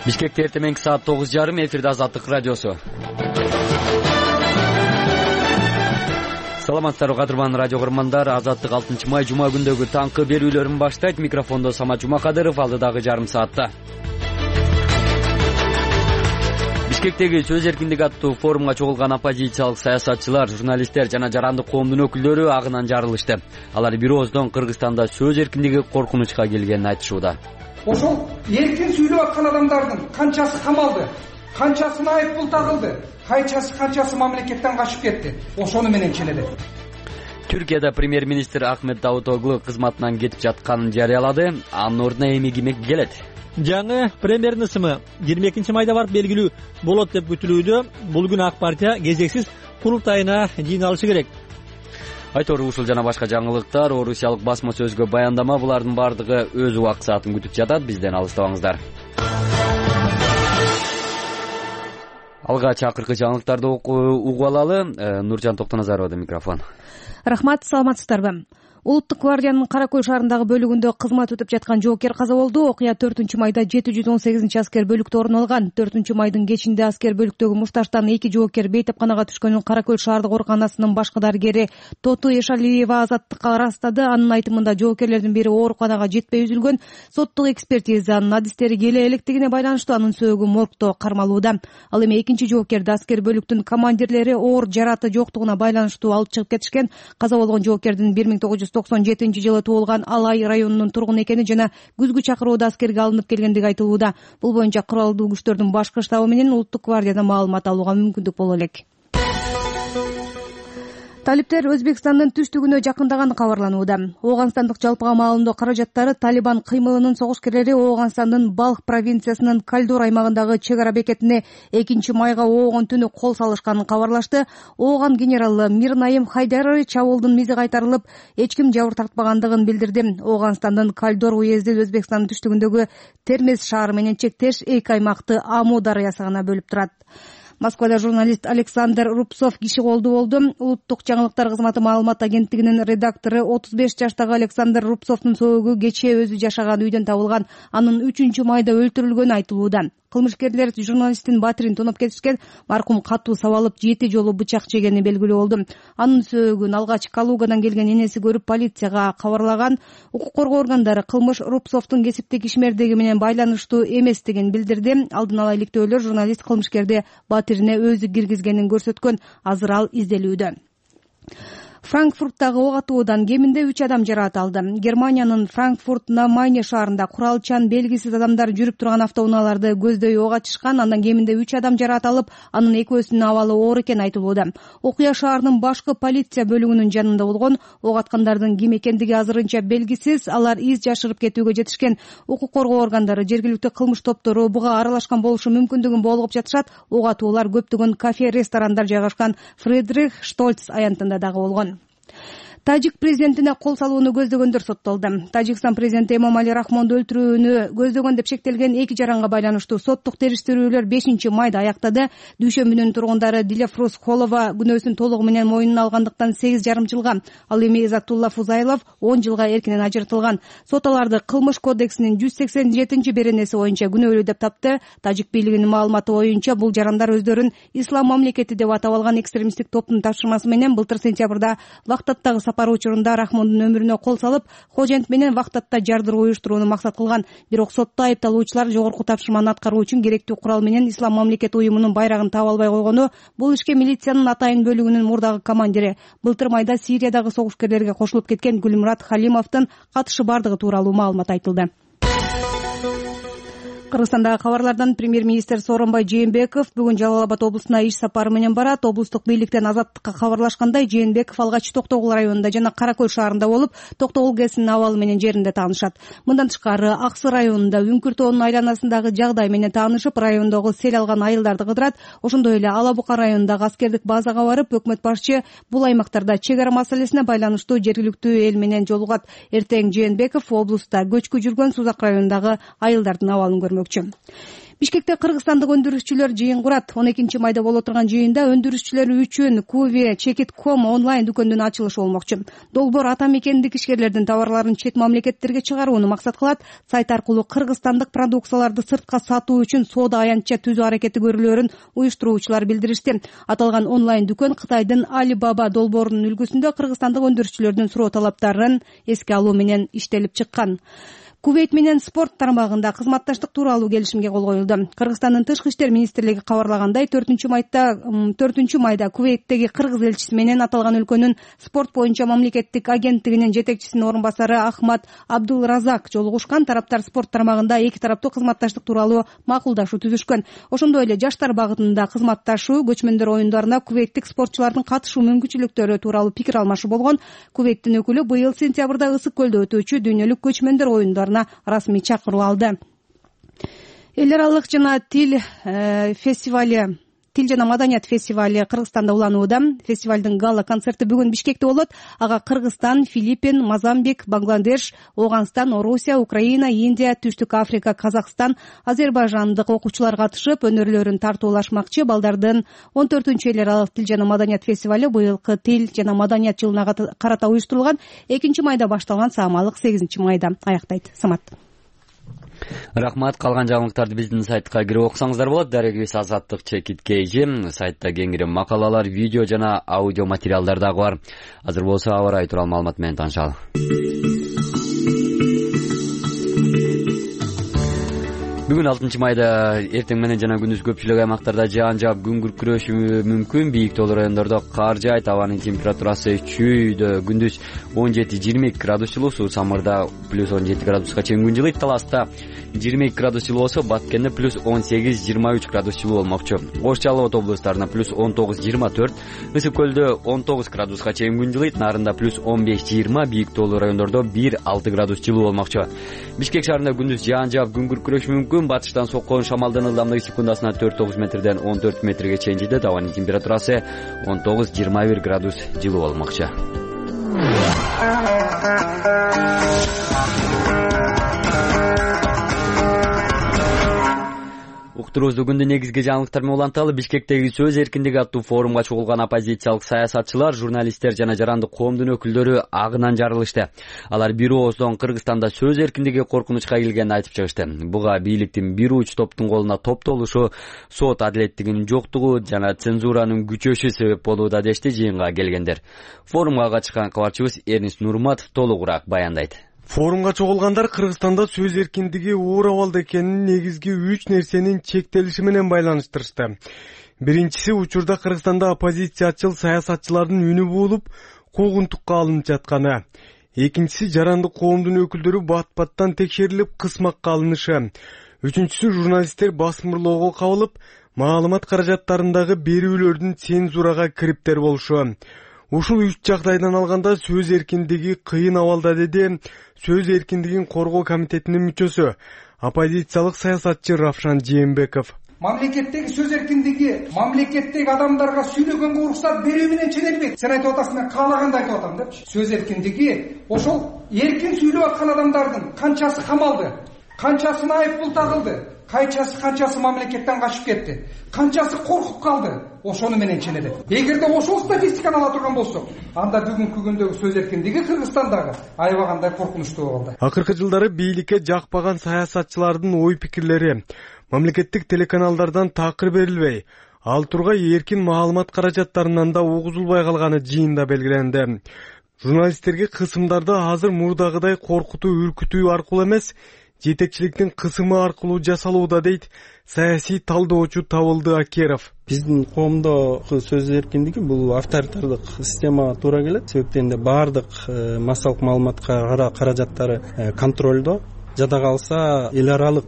Бишкекте эртең саат 9:30 эфирде Азаттык радиосу. Саламатсыздарбы кадырман радио көрөрмандар. Азаттык 6 май жума күндөгү таңкы берүүлөрүн баштайт. Микрофондо Самат Жумакадыров, алдыдагы жарым саатта. Бишкектеги сөз эркиндиги аттуу форумга чогулган оппозициялык саясатчылар, журналисттер жана жарандык коомдун өкүлдөрү агынан жарылышты. Алар бир ооздон Кыргызстанда сөз эркиндиги коркунучка келгенин айтышууда. Ошол эркин сүйлөп аткан адамдардын канчасы камалды, канчасына айыппул тагылды, канчасы мамлекеттен качып кетти. Ошону менен келеди. Түркияда премьер-министр Ахмет Давутоглу кызматынан кетип жатканын жарыялады. Анын ордуна эми ким келет? Жаңы премьердин ысымы 22 майда барып белгилүү болот деп күтүлүүдө. Бул күнү ак партия кезексиз курултайына жыйналышы керек. Айтору ушул жана башка жаңылыктар, орусиялык басма сөзгө баяндама, булардын бардыгы өз убак саатын күтүп жатат. Бизден алыстабаңыздар. Алга чакыркы жаңылыктарды угуп алалы. Нуржан Токтоназарова микрофон. Рахмат, саламатсыздарбы? Улуттук гвардиянын Кара Көл шаарындагы бөлүгүндө кызмат өтүп жаткан жоокер каза болду. Окуя 4-майда 718-аскер бөлүктө орун алган. 4-майдын кечинде аскер бөлүктөгү мушташтан 2 жоокер бейтапканага түшкөнүн Кара Көл шаардык ооруканасынын башкы дарыгери Тоту Эшалиева Азаттыкка ырастады. Анын айтымында жоокерлердин бири ооруканага жетпей үзүлгөн. Соттук экспертизанын адистери келе электигине байланыштуу анын сөөгү моргдо кармалууда. Ал эми экинчи жоокерди аскер бөлүктүн командирлери оор жараты жоктугуна байланыштуу алып чыгып кетишкен. Каза болгон жоокердин 1997-жылы туулган Алай районунун тургуну экени жана күзгү чакырууда аскерге алынып келгендиги айтылууда. Бул боюнча куралдуу күчтөрдүн башкы штабы менен улуттук гвардиядан маалымат алууга мүмкүндүк боло элек. Талиптер Өзбекстандын түштүгүнө жакындаганы кабарланууда. Ооганстандык жалпыга маалымдоо каражаттары Талибан кыймылынын согушкерлери Ооганстандын Балх провинциясынын Кальдор аймагындагы чек ара бекетине 2-майга оогон түнү кол салышканын кабарлашты. Ооган генералы Мирнаим Хайдарович чабуулдун мизи кайтарылып, эч ким жабыр тартпагандыгын билдирди. Ооганстандын Кальдор уезди Өзбекстандын түштүгүндөгү Термез шаары менен чектеш 2 аймакты Аму дарыясы гана бөлүп турат. Москвада журналист Александр Рубцов киши колдуу болду. Улуттук жаңылыктар кызматы маалымат агенттигинин редактору 35 жаштагы Александр Рубцовдун сөөгү кечээ өзү жашаган үйдөн табылган. Анын 3-майда өлтүрүлгөнү айтылууда. Кылмышкерлер журналисттин батирин тоноп кетишкен. Маркум катуу сабалып 7 жолу бычак жегени белгилүү болду. Анын сөөгүн алгач Калугадан келген энеси көрүп полицияга кабарлаган. Укук коргоо органдары кылмыш Рубцовдун кесиптик ишмердиги менен байланыштуу эместигин билдирди. Алдын ала иликтөөлөр журналист кылмышкерди батирине өзү киргизгенин көрсөткөн. Азыр ал изделүүдө. Франкфурттагы ок атуудан кеминде 3 адам жаракат алды. Германиянын Франкфурт на Майне шаарында куралчан белгисиз адамдар жүрүп турган автоунааларды көздөй ок ачышкан. Андан кеминде 3 адам жаракат алып, анын экөөсүнүн абалы оор экени айтылууда. Окуя шаарынын башкы полиция бөлүгүнүн жанында болгон. Ок аткандардын ким экендиги азырынча белгисиз. Алар из жашырып кетүүгө жетишкен. Укук коргоо органдары жергиликтүү кылмыш топтору буга аралашкан болушу мүмкүндүгүн болгоп жатышат. Ок атуулар көптөгөн кафе, ресторандар жайгашкан Фридрих Штольц аянтында дагы болгон. Тажик президентине кол салууну көздөгөндөр соттолду. Тажикстан президенти Эмомали Рахмонду өлтүрүүнү көздөгөн деп шектелген 2 жаранга байланыштуу соттук териштирүүлөр 5-майда аяктады. Дүйшөмбүнүн тургундары Дилефрус Холова күнөөсүн толугу менен мойнуна алгандыктан 8,5 жылга, ал эми Изатулла Фузайлов 10 жылга эркинен ажыртылган. Сот аларды кылмыш кодексинин 187-беренеси боюнча күнөөлүү деп тапты. Тажик бийлигинин маалыматы боюнча бул жарандар өздөрүн Ислам мамлекети деп атап алган экстремисттик топтун тапшырмасы менен былтыр сентябрда Вахтаттагы сапары учурунда Рахмондун өмүрүнө кол салып, Хожент менен Вахтатта жардыруу уюштурууну максат кылган. Бирок сотто айыпталуучулар жогорку тапшырманы аткаруу үчүн керектүү курал менен Ислам мамлекети уюмунун байрагын таап албай койгону. Бул ишке милициянын Атайын бөлүгүнүн мурдагы командири, былтыр майда Сириядагы согушкерлерге кошулуп кеткен Гүлмурат Халимовдун катышы бардыгы тууралуу маалымат айтылды. Кыргызстандагы кабарлардан премьер-министр Сооронбай Жээнбеков бүгүн Жалал Абад облусуна иш сапары менен барат. Облустук бийликтен Азаттыкка кабарлашкандай, Жээнбеков алгач Токтогул районунда жана Кара Көл шаарында болуп, Токтогул ГЭСинин абалы менен жеринде таанышат. Мындан тышкары Аксы районунда Үңкүр тоонун айланасындагы жагдай менен таанышып, райондогу сел алган айылдарды кыдырат. Ошондой эле Ала Бука районундагы аскердик базага барып, өкмөт башчы бул аймактарда чек ара маселесине байланыштуу жергиликтүү эл менен жолугат. Эртең Жээнбеков облуста көчкү жүргөн Сузак районундагы айылдардын абалын көрмөкчү. Бишкекте кыргызстандык өндүрүшчүлөр жыйын курат. 12 майда боло турган жыйында өндүрүшчүлөр үчүн Куви Чекит.com онлайн дүкөндүн ачылышы болмокчу. Долбоор ата мекендик ишкерлердин товарларын чет мамлекеттерге чыгарууну максат кылат. Сайт аркылуу кыргызстандык продукцияларды сыртка сатуу үчүн соода аянтча түзүү аракети көрүлөөрүн уюштуруучулар билдиришти. Аталган онлайн дүкөн Кытайдын Alibaba долбоорунун үлгүсүндө кыргызстандык өндүрүшчүлөрдүн суроо талаптарын эске алуу менен иштелип чыккан. Кувейт менен спорт тармагында кызматташтык тууралуу келишимге кол коюлду. Кыргызстандын тышкы иштер министрлиги кабарлагандай, 4 майда Кувейттеги кыргыз элчиси менен аталган өлкөнүн спорт боюнча мамлекеттик агенттигинин жетекчисинин орун басары Ахмат Абдулразак жолугушкан. Тараптар спорт тармагында эки тараптуу кызматташтык тууралуу макулдашуу түзүшкөн. Ошондой эле жаштар багытында кызматташуу, көчмөндөр оюндарына кувейттик спортчулардын катышуу мүмкүнчүлүктөрү тууралуу пикир алмашуу болгон. Кувейттин өкүлү быйыл сентябрда Ысык көлдө өтүүчү дүйнөлүк көчмөндөр оюндарына расмий чакыруу алды. Эл аралык жана тил жана маданият фестивали Кыргызстанда уланууда. Фестивалдын гала концерти бүгүн Бишкекте болот. Ага Кыргызстан, Филиппин, Мозамбик, Бангладеш, Ооганстан, Орусия, Украина, Индия, Түштүк Африка, Казакстан, Азербайжандык окуучулар катышып, өнөрлөрүн тартуулашмакчы. Балдардын 14-эл аралык тил жана маданият фестивали быйылкы тил жана маданият жылына карата уюштурулган. 2 майда башталган, саамалык 8 майда аяктайт. Самат. Рахмат. Калган жаңылыктарды биздин сайтка кирип окусаңыздар болот. Дарегибиз Азаттык Чекит KG. Сайтта кеңири макалалар, видео жана аудио материалдар дагы бар. Азыр болсо аба ырайы тууралуу маалымат менен таанышалы. Бүгүн 6 майда эртең менен жана күндүз көпчүлүк аймактарда жаан жаап күн күркүрөшү мүмкүн. Бийик тоолуу райондордо кар жаайт. Абанын температурасы чүйдө күндүз 17-22 градус жылуу, Суу Самырда плюс 17 градуска чейин күн жылыйт. Таласта 22 градус жылуу болсо, Баткенде плюс 18-23 градус жылуу болмокчу. Ош Жалал Абад облустарына плюс 19-24, Ысык көлдө 19 градуска чейин күн жылыйт. Нарында плюс 15-20, бийик тоолуу райондордо 1-6 градус жылуу болмокчу. Бишкек шаарында күндүз жаан жаап күн күркүрөшү мүмкүн. Батыштан соккон шамалдын ылдамдыгы секундасына 4-9 метрден 14 метрге чейин жетет. Абанын температурасы 19-21 градус жылуу болмокчу. Уктуруубузду күндүн негизги жаңылыктары менен уланталы. Бишкектеги сөз эркиндиги аттуу форумга чогулган оппозициялык саясатчылар, журналисттер жана жарандык коомдун өкүлдөрү агынан жарылышты. Алар бир ооздон Кыргызстанда сөз эркиндиги коркунучка келгенин айтып чыгышты. Буга бийликтин бир уч топтун колуна топтолушу, сот адилеттигинин жоктугу жана цензуранын күчөшү себеп болууда дешти жыйынга келгендер. Форумга катышкан кабарчыбыз Эрнис Нурматов толугураак баяндайт. Форумга чогулгандар Кыргызстанда сөз эркиндиги оор абалда экенин негизги 3 нерсенин чектелиши менен байланыштырышты. Биринчиси, учурда Кыргызстанда оппозициячыл саясатчылардын үнү болуп, куугунтукка алынып жатканы. Экинчиси, жарандык коомдун өкүлдөрү бат-баттан текшерилип, кысмакка алынышы. Үчүнчүсү, журналисттер басмырлоого кабылып, маалымат каражаттарындагы берүүлөрдүн цензурага кириптер болушу. Ушул 3 жагдайдан алганда сөз эркиндиги кыйын абалда, деди сөз эркиндигин коргоо комитетинин мүчөсү, оппозициялык саясатчы Равшан Жээнбеков. Мамлекеттеги сөз эркиндиги мамлекеттеги адамдарга сүйлөгөнгө уруксат берүү менен ченелбейт. Сен айтып атасың, мен каалаганды айтып атам депчи. Сөз эркиндиги ошол эркин сүйлөп аткан адамдардын канчасы камалды, канчасына айыппул тагылды, канчасы мамлекеттен качып кетти, канчасы коркуп калды, ошону менен ченелет. Эгерде ошол статистиканы ала турган болсок, анда бүгүнкү күндөгү сөз эркиндиги Кыргызстандагы аябагандай коркунучтуу болду. Акыркы жылдары бийликке жакпаган саясатчылардын ой пикирлери мамлекеттик телеканалдардан такыр берилбей, ал тургай эркин маалымат каражаттарынан да угузулбай калганы жыйында белгиленди. Журналисттерге кысымдарды азыр мурдагыдай коркутуу, үркүтүү аркылуу эмес, жетекчиликтин кысымы аркылуу жасалууда, дейт саясий талдоочу Табылды Акеров. Биздин коомдо сөз эркиндиги бул авторитардык системага туура келет. Себептен баардык массалык маалымат каражаттары контролдо. Жада калса эл аралык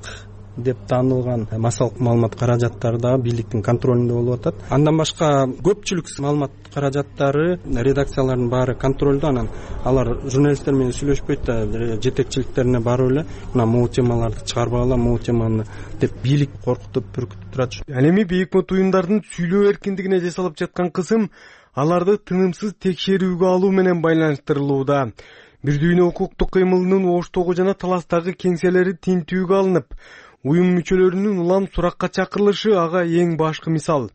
деп таанылган массалык маалымат каражаттары да бийликтин контролунда болуп атат. Андан башка көпчүлүк маалымат каражаттары, редакциялардын баары контролдо. Анан алар журналисттер менен сүйлөшпөйт да, жетекчиликтерине барып эле мына могу темаларды чыгарбагыла, могу теманы деп бийлик коркутуп, үркүтүп турат. Ал эми бийик уюмдардын сүйлөө эркиндигине жасалып жаткан кысым аларды тынымсыз текшерүүгө алуу менен байланыштырылууда. Бир дүйнө укуктук кыймылынын Оштогу жана Таластагы кеңселери тинтүүгө алынып, уюм мүчөлөрүнүн улам суракка чакырылышы ага эң башкы мисал.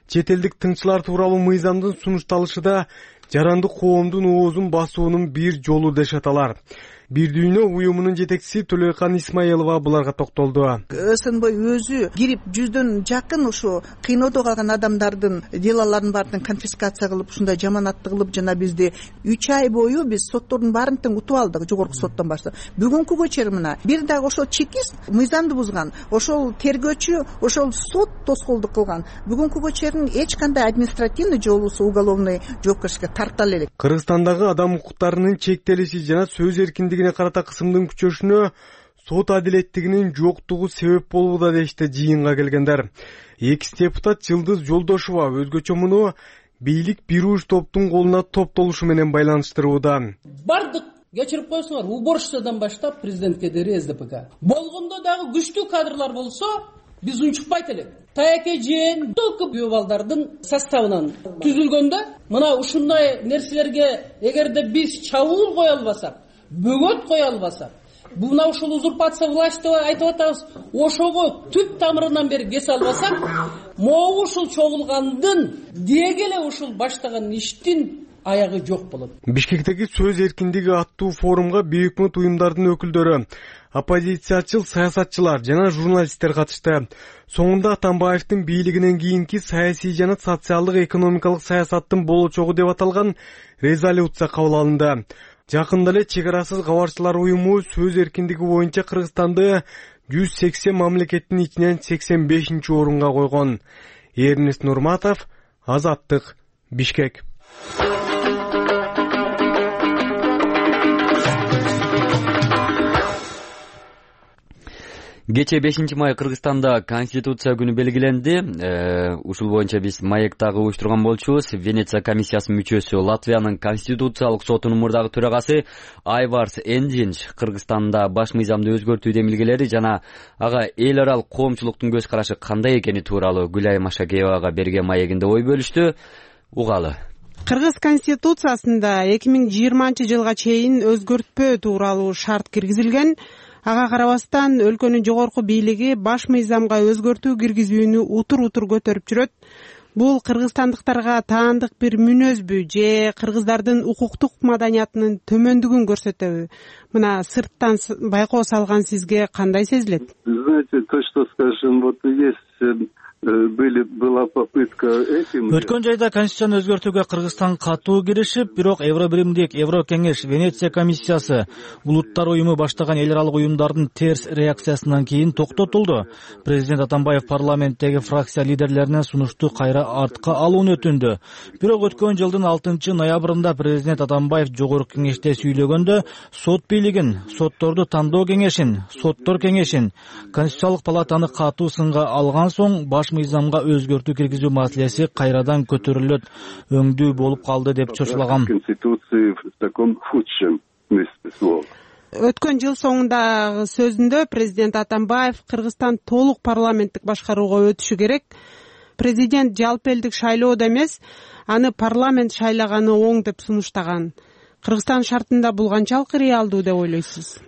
Чет элдик тыңчылар тууралуу мыйзамдын сунушталышы да жарандык коомдун оозун басуунун бир жолу дешет аталар. Бир дүйнө уюмунун жетекчиси Төлөйкан Исмаилова буларга токтолду. СНБ өзү кирип 100дөн жакын ушу кыйноодо калган адамдардын делолорун баарын конфискация кылып, ушундай жаманатты кылып, жана бизди 3 ай бою биз соттордун баарын тең утуп алдык, жогорку соттон баштап. Бүгүнкүгө чейин мына бир дагы ошол чекист мыйзамды бузган, ошол тергөөчү, ошол сот тоскоолдук кылган. Бүгүнкүгө чейин эч кандай административный же болбосо уголовный жоопкерчиликке тартала элек. Кыргызстандагы адам укуктарынын чектелиши жана сөз эркиндигине карата кысымдын күчөшүнө сот адилеттигинин жоктугу себеп болууда дешти жыйынга келгендер. Экс депутат Жылдыз Жолдошова өзгөчө муну бийлик бир уч топтун колуна топтолушу менен байланыштырууда. Бардык кечирип коесуңар, уборщицадан баштап президентке дейин СДПК. Болгондо дагы күчтүү кадрлар болсо, биз унчукпайт элек. Таяке жээн только күйөө балдардын составынан түзүлгөндө, мына ушундай нерселерге эгерде биз чабуул кое албасак, бөгөт кое албасак, мына ушул узурпация власть деп айтып атабыз, ошого түп тамырынан бери кесе албасак, могу ушул чогулгандын деги эле ушул баштаган иштин аягы жок болот. Бишкектеги сөз эркиндиги аттуу форумга бейөкмөт уюмдардын өкүлдөрү, оппозициячыл саясатчылар жана журналисттер катышты. Соңунда Атамбаевдин бийлигинен кийинки саясий жана социалдык экономикалык саясаттын болочогу деп аталган резолюция кабыл алынды. Жакында эле чек арасыз кабарчылар уюму сөз эркиндиги боюнча Кыргызстанды 180 мамлекеттин ичинен 85-орунга койгон. Эрнест Нурматов, Азаттык, Бишкек. Кече 5-май Кыргызстанда Конституция күнү белгиленди. Ушул боюнча биз Маектагы уюштурган болчубуз. Венеция комиссиясынын мүчөсү, Латвиянын Конституциялык сотунун мурдагы төрагасы Айварс Эндинч Кыргызстанда баш мыйзамды өзгөртүү демилгелери жана ага эл аралык коомчулуктун көз карашы кандай экени тууралуу Гүлай Машакеевага берген маегинде ой бөлүштү. Угалы. Кыргыз Конституциясында 2020-жылга чейин өзгөртпөө тууралуу шарт киргизилген. Ага карабастан өлкөнүн жогорку бийлиги баш мыйзамга өзгөртүү киргизүүнү утур көтөрүп жүрөт. Бул кыргызстандыктарга таандык бир мүнөзбү же кыргыздардын укуктук маданиятынын төмөндүгүн көрсөтөбү? Мына сырттан байкоо салган сизге кандай сезилет? Знаете, то, что скажем, вот есть была попытка этим. Өткөн жайда конституцияны өзгөртүүгө Кыргызстан катуу киришип, бирок Евробиримдик, Еврокеңеш, Венеция комиссиясы, улуттар уюму баштаган эл аралык уюмдардын терс реакциясынан кийин токтотулду. Президент Атамбаев парламенттеги фракция лидерлеринен сунушту кайра артка алууну өтүндү. Бирок өткөн жылдын 6-ноябрында президент Атамбаев жогорку кеңеште сүйлөгөндө сот бийлигин, сотторду тандоо кеңешин, соттор кеңешин, Конституциялык палатаны катуу сынга алган соң баш мыйзамга өзгөртүү киргизүү маселеси кайрадан көтөрүлөт, өңдүү болуп калды деп чочулаган. Өткөн жыл соңундагы сөзүндө президент Атамбаев Кыргызстан толук парламенттик башкарууга өтүшү керек. Президент жалпы элдик шайлоодо эмес, аны парламент шайлаганы оң деп сунуштаган. Кыргызстан шартында бул канчалык реалдуу деп ойлойсуз?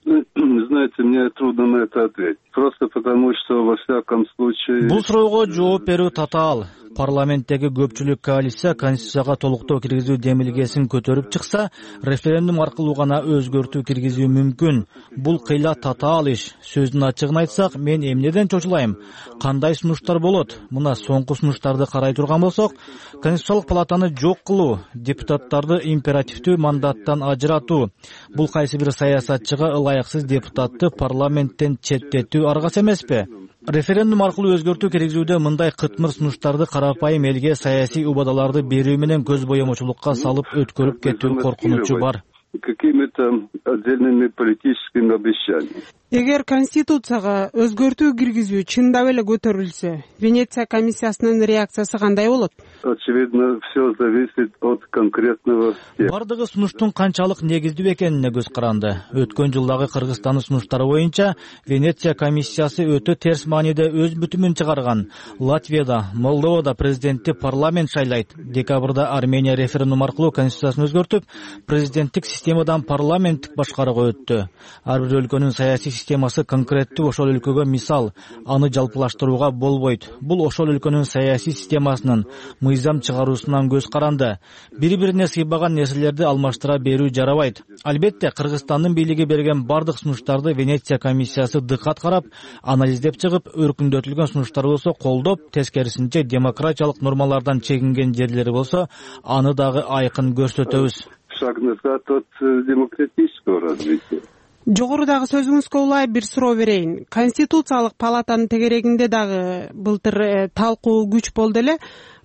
Знаете, мне трудно на это ответить. Просто потому, что во всяком случае... Бул суроого жооп берүү татаал. Парламенттеги көпчүлүк коалиция Конституцияга толуктоо киргизүү демилгесин көтөрүп чыкса, референдум аркылуу гана өзгөртүү киргизүү мүмкүн. Бул кыйла татаал иш. Сөздүн ачыгын айтсак, мен эмнеден чочулайм? Кандай сунуштар болот? Мына соңку сунуштарды карай турган болсок, Конституциялык палатаны жок кылуу, депутаттарды императивдүү мандаттан ажыратуу. Бул кайсы бир саясатчыга ылайыксыз депутатты парламенттен четтетүү аргасы эмеспи? Референдум аркылуу өзгөртүү киргизүүдө мындай кытмыр сунуштарды карапайым элге саясий убадаларды берүү менен көз боемочулукка салып өткөрүп кетүү коркунучу бар. Какими-то отдельными политическими обещаниями. Эгер Конституцияга өзгөртүү киргизүү чындап эле көтөрүлсө, Венеция комиссиясынын реакциясы кандай болот? Очевидно, все зависит от конкретного. Бардыгы сунуштун канчалык негиздүү экенине көз каранды. Өткөн жылдагы Кыргызстандын сунуштары боюнча Венеция комиссиясы өтө терс мааниде өз бүтүмүн чыгарган. Латвияда, Молдовада президентти парламент шайлайт. Декабрда Армения референдум аркылуу конституциясын өзгөртүп, президенттик системадан парламенттик башкарууга өттү. Ар бир өлкөнүн саясий системасы конкреттүү ошол өлкөгө мисал, аны жалпылаштырууга болбойт. Бул ошол өлкөнүн саясий системасынын мыйзам чыгаруусунан көз каранды. Бири-бирине сыйбаган нерселерди алмаштыра берүү жарабайт. Албетте, Кыргызстандын бийлиги берген бардык сунуштарды Венеция комиссиясы дыкат карап, анализдеп чыгып, өркүндөтүлгөн сунуштар болсо колдоп, тескерисинче демократиялык нормалардан чегинген жерлери болсо, аны дагы айкын көрсөтөбүз. Шаг назад от демократического развития. Жогорудагы сөзүңүзгө улай бир суроо берейин. Конституциялык палатанын тегерегинде дагы былтыр талкуу күч болду эле.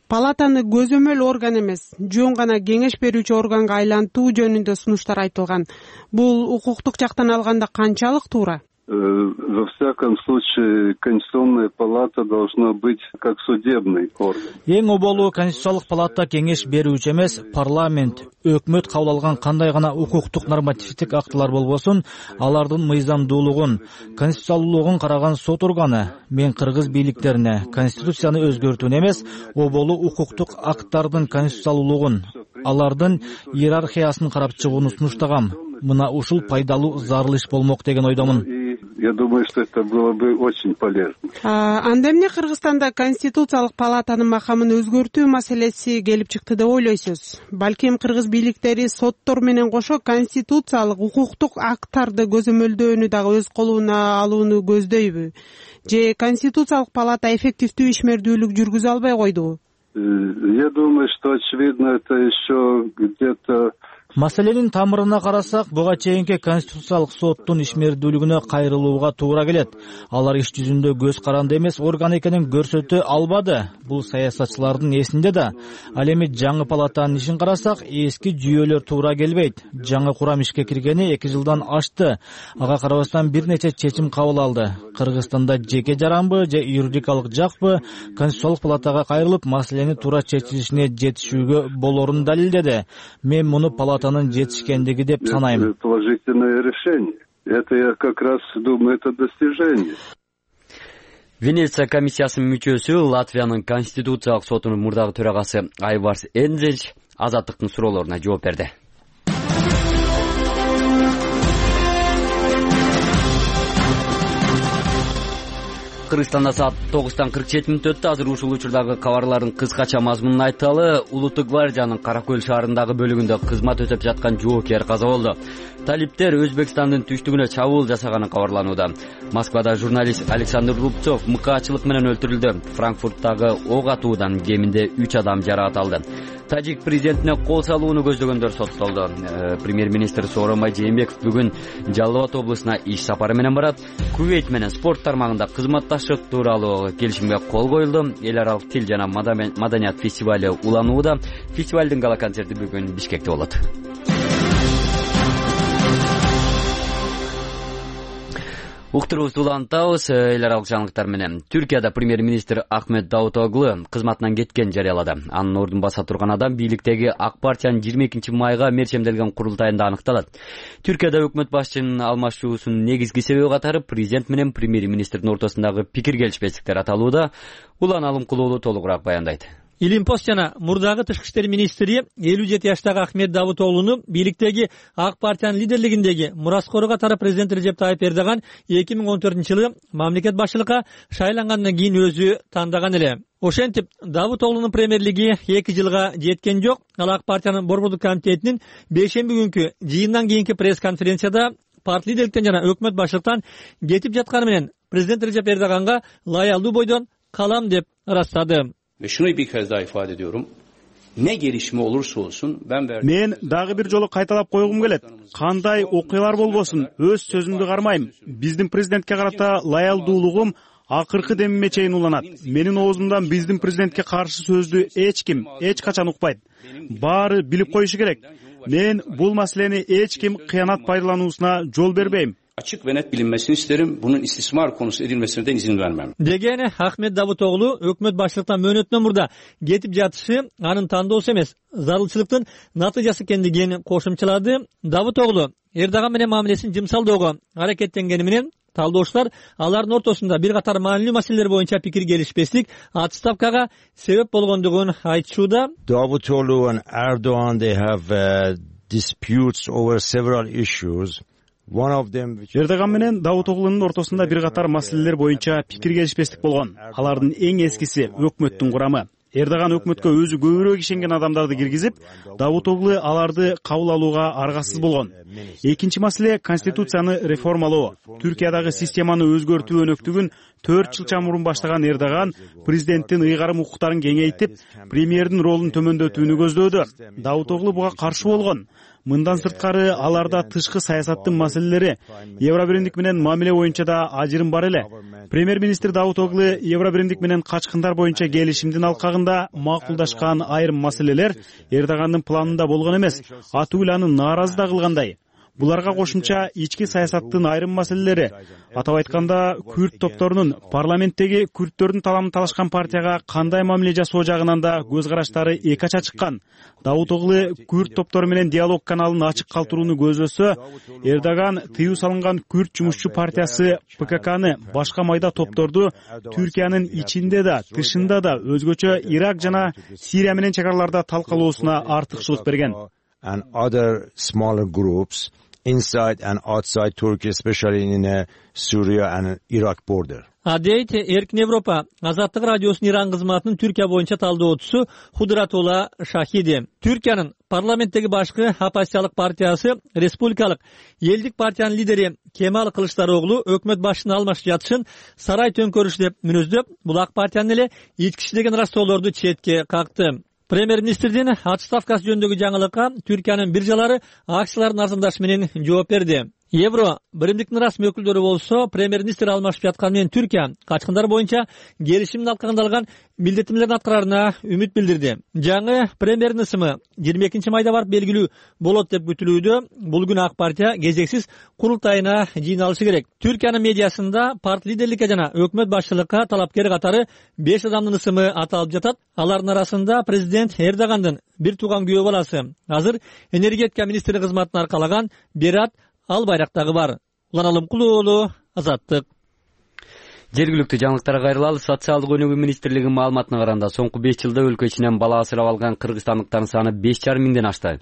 Палатаны көзөмөл орган эмес, жөн гана кеңеш берүүчү органга айлантуу жөнүндө сунуштар айтылган. Бул укуктук жактан алганда канчалык туура? Во всяком случае, Конституционная палата должна быть как судебный орган. Эң оболу Конституциялык палата кеңеш берүүчү эмес, парламент, өкмөт кабыл алган кандай гана укуктук нормативдик актылар болбосун, алардын мыйзамдуулугун, конституциялуулугун караган сот органы. Мен кыргыз бийликтерине конституцияны өзгөртүүнү эмес, оболу укуктук акттардын конституциялуулугун, алардын иерархиясын карап чыгууну сунуштагам. Мына ушул пайдалуу зарылыш болмок деген ойдомун. Я думаю, что это было бы очень полезно. Анда эмне Кыргызстанда Конституциялык палатанын макамын өзгөртүү маселеси келип чыкты деп ойлойсуз? Балким кыргыз бийликтери соттор менен кошо конституциялык укуктук акттарды көзөмөлдөөнү дагы өз колуна алууну көздөйбү? Же Конституциялык палата эффективдүү ишмердүүлүк жүргүзө албай койдубу? Я думаю, что очевидно это еще где-то. Маселенин тамырына карасак, буга чейинки Конституциялык соттун ишмердүүлүгүнө кайрылууга туура келет. Алар иш жүзүндө көз каранды эмес орган экенин көрсөтө албады. Бул саясатчылардын эсинде да. Ал эми жаңы палатанын ишин карасак, эски жүйөлөр туура келбейт. Жаңы курам ишке киргени 2 жылдан ашты. Ага карабастан бир нече чечим кабыл алды. Кыргызстанда жеке жаранбы же юридикалык жакпы Конституциялык палатага кайрылып, маселени туура чечилишине жетишүүгө болорун далилдеди. Мен муну палатанын жетишкендиги деп санайм. Положительное решение. Это я как раз думаю, это достижение. Венеция комиссиясынын мүчөсү Латвиянын конституциялык сотунун мурдагы төрагасы Айварс Энзель Азаттыктын суроолоруна жооп берди. Кыргызстанда саат 9:47 өттү. Азыр ушул учурдагы кабарлардын кыскача мазмунун айталы. Улуттук гвардиянын Каракөл шаарындагы бөлүгүндө кызмат өтөп жаткан жоокер каза болду. Талиптер Өзбекстандын түштүгүнө чабуул жасаганы кабарланууда. Москвада журналист Александр Рубцов мыкаачылык менен өлтүрүлдү. Франкфурттагы ок атуудан кеминде 3 адам жаракат алды. Тажик президентине кол салууну көздөгөндөр соттолду. Премьер-министр Сооронбай Жээнбеков бүгүн Жалал Абад облусуна иш сапары менен барат. Кувейт менен спорт тармагында кызматташтык тууралуу келишимге кол коюлду. Эл аралык тил жана маданият фестивали уланууда. Фестивалдын гала концерти бүгүн Бишкекте болот. Уктурубузду улантабыз. Эл аралык жаңылыктар менен. Түркияда премьер-министр Ахмет Давутоглу кызматынан кеткен жарыялады. Анын ордун баса турган адам бийликтеги ак партиянын 22 майга мерчемделген курултайында аныкталат. Түркияда өкмөт башчынын алмашуусунун негизги себеби катары президент менен премьер-министрдин ортосундагы пикир келишпестиктер аталууда. Улан Алымкулуулу толугураак баяндайт. Илимпост жана мурдагы тышкы иштер министри 57 жаштагы Ахмет Давутоглуну бийликтеги ак партиянын лидерлигиндеги Мураскору катары президент Режеп Тайып Эрдоган 2014-жылы мамлекет башчылыкка шайлангандан кийин өзү тандаган эле. Ошентип, Давутоглунун премьерлиги 2 жылга жеткен жок. Ал ак партиянын борбордук комитетинин 5-шемби күнкү жыйындан кийинки пресс-конференцияда парт лидерликтен жана өкмөт башчылыктан кетип жатканы менен президент Режеп Эрдоганга лаялдуу бойдон калам деп ырастады. Ve şunu bir kez daha ifade ediyorum. Ne gelişme olursa olsun мен дагы бир жолу кайталап койгум келет. Кандай окуялар болбосун, өз сөзүмдү кармайм. Биздин президентке карата лаялдуулугум акыркы демиме чейин уланат. Менин оозумдан биздин президентке каршы сөздү эч ким, эч качан укпайт. Баары билип коюшу керек. Мен бул маселени эч ким кыянат пайдалануусуна жол бербейм. Açık ve net bilinmesini isterim. Bunun istismar konusu edilmesine de izin vermem. Degeni Ahmet Davutoglu өкмөт башчылыктан мөөнөтүнөн мурда кетип жатышы анын тандоосу эмес, зарылчылыктын натыйжасы экендигин кошумчалады. Давутоглу Эрдоган менен мамилесин жымсалдөөгө аракеттенгени менен талдоочулар алардын ортосунда бир катар маанилүү маселелер боюнча пикир келишпестик отставкага себеп болгондугун айтышууда. Davutoglu and Erdogan, they have disputes over several issues. Эрдоган менен Давутоглунун ортосунда бир катар маселелер боюнча пикир келишпестик болгон. Алардын эң эскиси өкмөттүн курамы. Эрдоган өкмөткө өзү көбүрөөк ишенген адамдарды киргизип, Давутоглу аларды кабыл алууга аргасыз болгон. Экинчи маселе конституцияны реформалоо. Түркиядагы системаны өзгөртүү өнөктүгүн 4 жыл чамурун баштаган Эрдоган президенттин ыйгарым укуктарын кеңейтип, премьердин ролун төмөндөтүүнү көздөөдү. Давутоглу буга каршы болгон. Мындан сырткары аларда тышкы саясаттын маселелери, Евробиримдик менен мамиле боюнча да ажырым бар эле. Премьер-министр Давутоглу Евробиримдик менен качкындар боюнча келишимдин алкагында макулдашкан айрым маселелер Эрдогандын планында болгон эмес, атүгүл аны нааразы да кылгандай. Буларга кошумча ички саясаттын айрым маселелери, атап айтканда күрд топторунун парламенттеги күрдтөрдүн таламын талашкан партияга кандай мамиле жасоо жагынан да көз караштары эки ача чыккан. Давутоглу күрд топтору менен диалог каналын ачык калтырууну көздөсө, Эрдоган тыюу салынган күрд жумушчу партиясы ПККны, башка майда топторду Түркиянын ичинде да, тышында да өзгөчө Ирак жана Сирия менен чек араларда талкалоосуна артыкчылык берген. And other smaller groups inside and outside Turkey, especially in Syria and Iraq border. Адейт Эркин Европа Азаттык радиосунун Иран кызматынын Түркия боюнча талдоочусу Худратулла Шахиди. Түркиянын парламенттеги башкы оппозициялык партиясы Республикалык элдик партиянын лидери Кемал Кылычдароглу өкмөт башчысын алмашып жатышын сарай төңкөрүшү деп мүнөздөп, бул ак партиянын эле ичкичи деген растоолорду четке какты. Премьер-министрдин отставкасы жөнүндөгү жаңылыкка Түркиянын биржалары акциялардын арзандашы менен жооп берди. Евро биримдиктин расмий өкүлдөрү болсо, премьер-министр алмашып жатканы менен Түркия качкындар боюнча келишимдин алкагында алган милдеттемелерин аткараарына үмүт билдирди. Жаңы премьердин ысымы 22 майда барып белгилүү болот деп күтүлүүдө. Бул күнү ак партия кезексиз курултайына жыйналышы керек. Түркиянын медиасында парт лидерликке жана өкмөт башчылыкка талапкер катары 5 адамдын ысымы аталып жатат. Алардын арасында президент Эрдогандын бир тууган күйөө баласы, азыр энергетика министри кызматын аркалаган Берат Албайрактагы бар. Улан Алымкулуу, Азаттык. Жергиликтүү жаңылыктарга кайрылалы. Социалдык өнүгүү министрлигинин маалыматына караганда, соңку 5 жылда өлкө ичинен бала асырап алган кыргызстандыктардын саны 5,5 миңден ашты.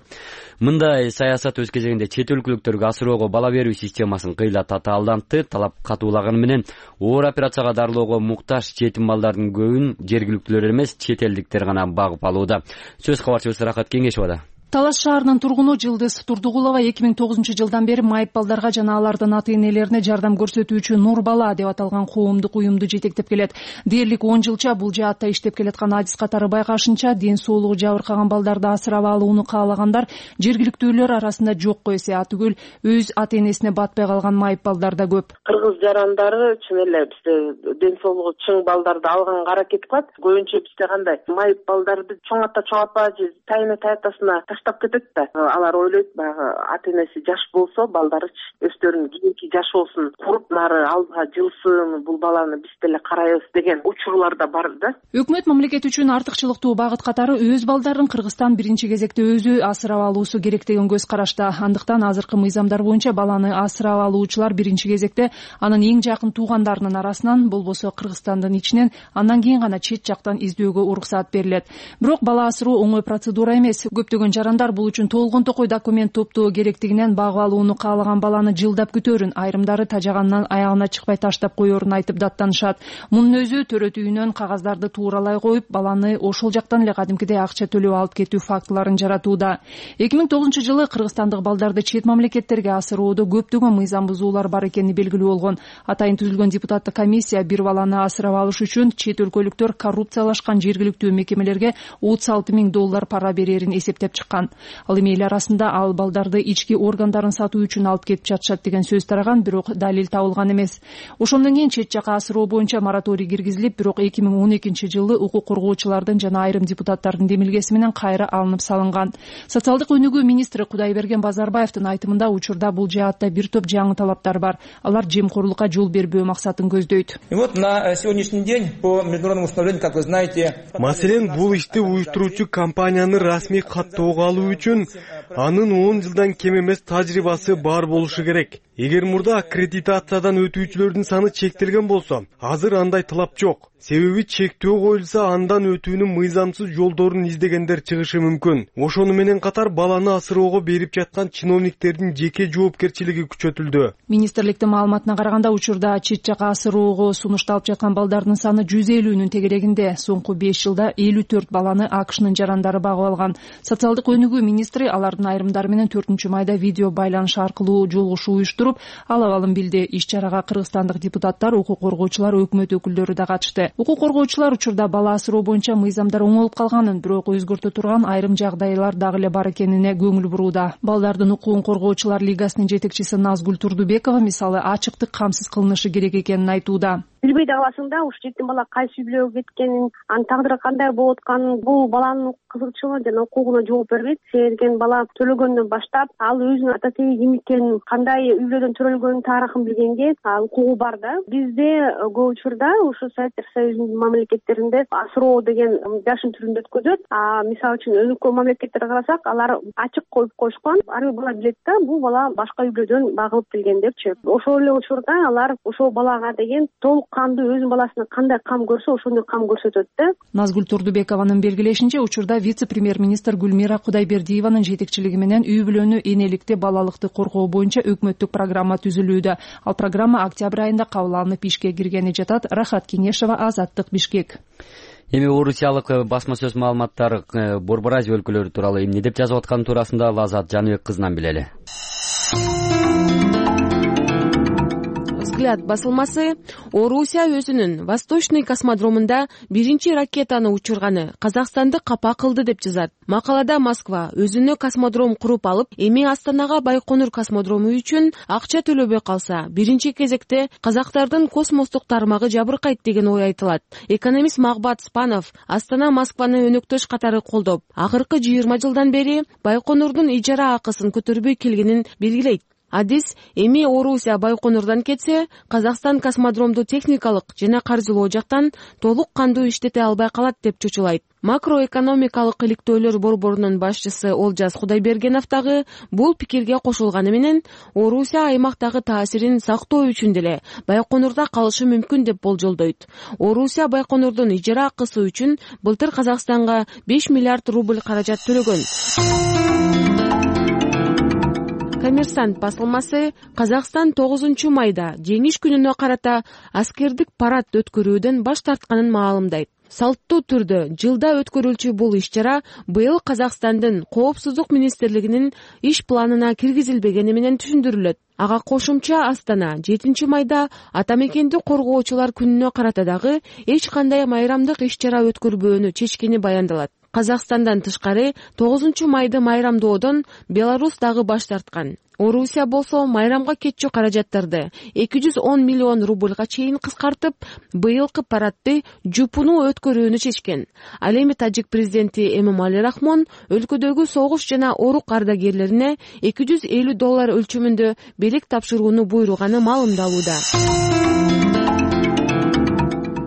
Мындай саясат өз кезегинде чет өлкөлүктөргө асыроого бала берүү системасын кыйла татаалдантты. Талап катуулаганы менен оор операцияга дарылоого муктаж жетим балдардын көбүн жергиликтүүлөр эмес, чет элдиктер гана багып алууда. Сөз кабарчыбыз Рахат Кеңешовада. Талаш шаарынын тургуну Жылдыз Турдугулова 2009 жылдан бери майып балдарга жана алардын ата-энелерине жардам көрсөтүүчү Нур бала деп аталган коомдук уюмду жетектеп келет. Дээрлик 10 жылча бул жаатта иштеп келаткан адис катары байкашынча, ден соолугу жабыркаган балдарды асырап алууну каалагандар жергиликтүүлөр арасында жокко эсе, атүгүл өз ата-энесине батпай калган майып балдар да көп. Кыргыз жарандары чын эле бизде ден соолугу чың балдарды алганга аракет кылат. Көбүнчө бизде кандай майып балдарды чоңатпа же тайына таштап кетет да. Алар ойлойт, баягы ата-энеси жаш болсо, балдары өздөрүнүн кийинки жашоосун куруп, нары алдыга жылсын, бул баланы биз деле карайбыз деген учурлар да бар да. Өкмөт мамлекет үчүн артыкчылыктуу багыт катары өз балдарын Кыргызстан биринчи кезекте өзү асырап алуусу керек деген көз карашта. Андыктан азыркы мыйзамдар боюнча баланы асырап алуучулар биринчи кезекте анын эң жакын туугандарынын арасынан, болбосо Кыргызстандын ичинен, андан кийин гана чет жактан издөөгө уруксаат берилет. Бирок бала асыруу оңой процедура эмес. Көптөгөн жарандар бул үчүн толгон токой документ топтоо керектигинен багып алууну каалаган баланы жылдап күтөөрүн, айрымдары тажаганынан аягына чыкпай таштап коерун айтып даттанышат. Мунун өзү төрөт үйүнөн кагаздарды тууралай коюп, баланы ошол жактан эле кадимкидей акча төлөп алып кетүү фактыларын жаратууда. 2009 жылы кыргызстандык балдарды чет мамлекеттерге асыроодо көптөгөн мыйзам бузуулар бар экени белгилүү болгон. Атайын түзүлгөн депутаттык комиссия бир баланы асырап алыш үчүн чет өлкөлүктөр коррупциялашкан жергиликтүү мекемелерге $36,000 пара берерин эсептеп чыккан. Ал эми эл арасында ал балдарды ички органдарын сатуу үчүн алып кетип жатышат деген сөз тараган, бирок далил табылган эмес. Ошондон кийин чет жакка асыроо боюнча мораторий киргизилип, бирок 2012 жылы укук коргоочулардын жана айрым депутаттардын демилгеси менен кайра алынып салынган. Социалдык өнүгүү министри Кудайберген Базарбаевдин айтымында учурда бул жаатта бир топ жаңы талаптар бар. Алар жемкорлукка жол бербөө максатын көздөйт. И вот на сегодняшний день по международному установлению, как вы знаете, маселен бул ишти уюштуруучу компанияны расмий каттоого алуу үчүн анын 10 жылдан кем эмес тажрыйбасы бар болушу керек. Эгер мурда аккредитациядан өтүүчүлөрдүн саны чектелген болсо, азыр андай талап жок. Себеби чектөө коюлса андан өтүүнүн мыйзамсыз жолдорун издегендер чыгышы мүмкүн. Ошону менен катар баланы асыроого берип жаткан чиновниктердин жеке жоопкерчилиги күчөтүлдү. Министрликтин маалыматына караганда учурда чет жака асыроого сунушталып жаткан балдардын саны 150-нүн тегерегинде. Соңку 5 жылда 54 баланы АКШнын жарандары багып алган. Социалдык өнүгүү министри алардын айрымдары менен 4-майда видео байланыш аркылуу жолугушуу уюштуруп, ал абалын билди. Иш чарага кыргызстандык депутаттар, укук коргоочулар, өкмөт өкүлдөрү да катышты. Укук коргоочулар учурда бала асыроо боюнча мыйзамдар оңолуп калганын, бирок өзгөртө турган айрым жагдайлар дагы эле бар экенине көңүл бурууда. Балдардын укугун коргоочулар лигасынын жетекчиси Назгүл Турдубекова мисалы ачыктык камсыз кылынышы керек экенин айтууда. Билбей да каласың да, ушу жетим бала кайсы үй бүлөгө кеткенин, анын тагдыры кандай болуп атканын, бул баланын кызыкчылыгына жана укугуна жооп бербейт. Себеби бала төлөгөндөн баштап, ал өзүнүн ата теги ким экенин, кандай үй бүлөдөн төрөлгөнүн тарыхын билгенге укугу бар да. Бизде көп учурда ушу Советтер Союзунун мамлекеттеринде асыроо деген жашын түрүндө өткөзөт. Мисалы үчүн өнүккөн мамлекеттерге карасак, алар ачык коюп коюшкан. Ар бир бала билет да, бул бала башка үй бүлөдөн багылып келген депчи. Ошол эле учурда алар ошол балага деген толук кандуу өзүнүн баласына кандай кам көрсө, ошондой кам көрсөтөт да. Назгүл Турдубекованын белгилешинче, учурда вице-премьер-министр Гүлмира Кудайбердиеванын жетекчилиги менен үй бүлөнү, энеликти, балалыкты коргоо боюнча өкмөттүк программа түзүлүүдө. Ал программа октябрь айында кабыл алынып ишке киргени жатат. Рахат Кеңешова, Азаттык, Бишкек. Эми орусиялык басма сөз маалыматтар Борбор Азия өлкөлөрү тууралуу эмне деп жазып атканы туурасында Лазат Жаныбек кызынан билели. Взгляд басылмасы Орусия өзүнүн Восточный космодромунда биринчи ракетаны учурганы Казакстанды капа кылды деп жазат. Макалада Москва өзүнө космодром куруп алып, эми Астанага Байконур космодрому үчүн акча төлөбөй калса, биринчи кезекте казактардын космостук тармагы жабыркайт деген ой айтылат. Экономист Магбат Спанов Астана Москваны өнөктөш катары колдоп, акыркы 20 жылдан бери Байконурдун ижара акысын көтөрбөй келгенин белгилейт. Адис эми Орусия Байконурдан кетсе, Казакстан космодромду техникалык жана каржылоо жактан толук кандуу иштете албай калат деп чочулайт. Макроэкономикалык иликтөөлөр борборунун башчысы Олжас Кудайбергенов дагы бул пикирге кошулганы менен, Орусия аймактагы таасирин сактоо үчүн деле Байконурда калышы мүмкүн деп болжолдойт. Орусия Байконурдун ижара акысы үчүн былтыр Казакстанга 5 миллиард рубль каражат төлөгөн. Коммерсант басылмасы Казакстан 9-майда жеңиш күнүнө карата аскердик парад өткөрүүдөн баш тартканын маалымдайт. Салттуу түрдө жылда өткөрүлчү бул иш-чара быйыл Казакстандын Коопсуздук министрлигинин иш планына киргизилбегени менен түшүндүрүлөт. Ага кошумча Астана 7-майда ата мекенди коргоочулар күнүнө карата дагы эч кандай майрамдык иш-чара өткөрбөөнү чечкени баяндалат. Казакстандан тышкары 9-майды майрамдоодон Беларусь дагы баш тарткан. Орусия болсо майрамга кетчү каражаттарды 210 миллион рубльга чейин кыскартып, быйылкы парадды жупуну өткөрүүнү чечкен. Ал эми Тажик президенти Эмомали Рахмон өлкөдөгү согуш жана орук ардагерлерине $250 өлчөмүндө белек тапшырууну буйруганы маалымдалууда.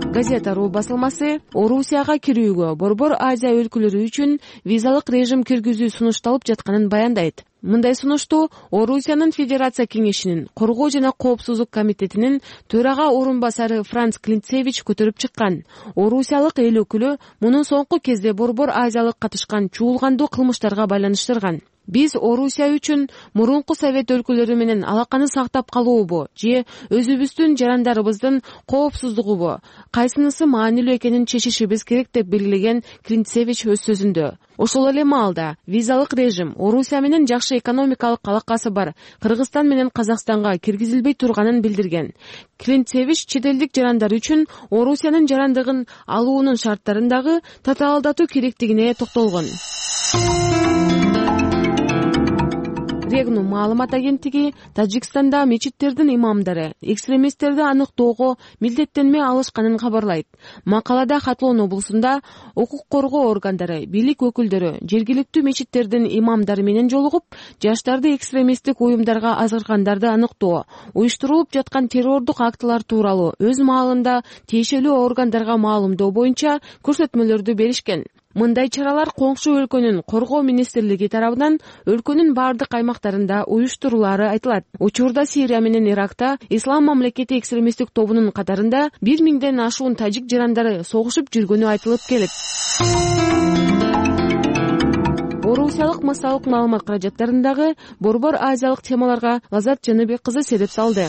Газета.ру басылмасы Орусияга кирүүгө Борбор Азия өлкөлөрү үчүн визалык режим киргизүү сунушталып жатканын баяндайт. Мындай сунушту Орусиянын Федерация кеңешинин коргоо жана коопсуздук комитетинин төрага орун басары Франц Клинцевич көтөрүп чыккан. Орусиялык эл өкүлү мунун соңку кезде Борбор Азиялык катышкан чуулгандуу кылмыштарга байланыштырган. Биз Орусия үчүн мурунку Совет өлкөлөрү менен алаканы сактап калуубу же өзүбүздүн жарандарыбыздын коопсуздугубу, кайсынысы маанилүү экенин чечишибиз керек деп белгилеген Клинцевич өз сөзүндө. Ошол эле маалда визалык режим Орусия менен жакшы экономикалык алакасы бар Кыргызстан менен Казакстанга киргизилбей турганын билдирген. Клинцевич чет элдик жарандар үчүн Орусиянын жарандыгын алуунун шарттарын дагы татаалдатуу керектигине токтолгон. Регну маалымат агенттиги Тажикстанда мечиттердин имамдары экстремисттерди аныктоого милдеттенме алышканын кабарлайт. Макалада Хатлон облусунда укук коргоо органдары, бийлик өкүлдөрү жергиликтүү мечиттердин имамдары менен жолугуп, жаштарды экстремисттик уюмдарга азыркандарды аныктоо, уюштурулуп жаткан террордук актылар тууралуу өз маалында тиешелүү органдарга маалымдоо боюнча көрсөтмөлөрдү беришкен. Мындай чаралар коңшу өлкөнүн коргоо министрлиги тарабынан өлкөнүн бардык аймактарында уюштурулары айтылат. Учурда Сирия менен Иракта Ислам мамлекети экстремисттик тобунун катарында 1000ден ашуун тажик жарандары согушуп жүргөнү айтылып келет. Орусиялык массалык маалымат каражаттарындагы борбор азиялык темаларга Лазат Жаныбек кызы себеп салды.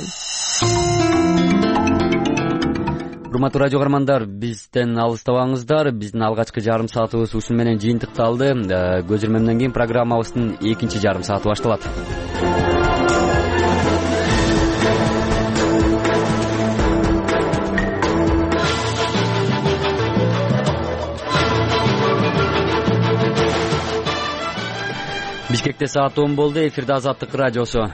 Урматтуу радио каармандар, бизден алыстабаңыздар. Биздин алгачкы жарым саатыбыз ушун менен жыйынтыкталды. Көзөрмөмдөн кийин программабыздын экинчи жарым сааты башталат. Бишкекте саат 10 болду. Эфирде Азаттык радиосу.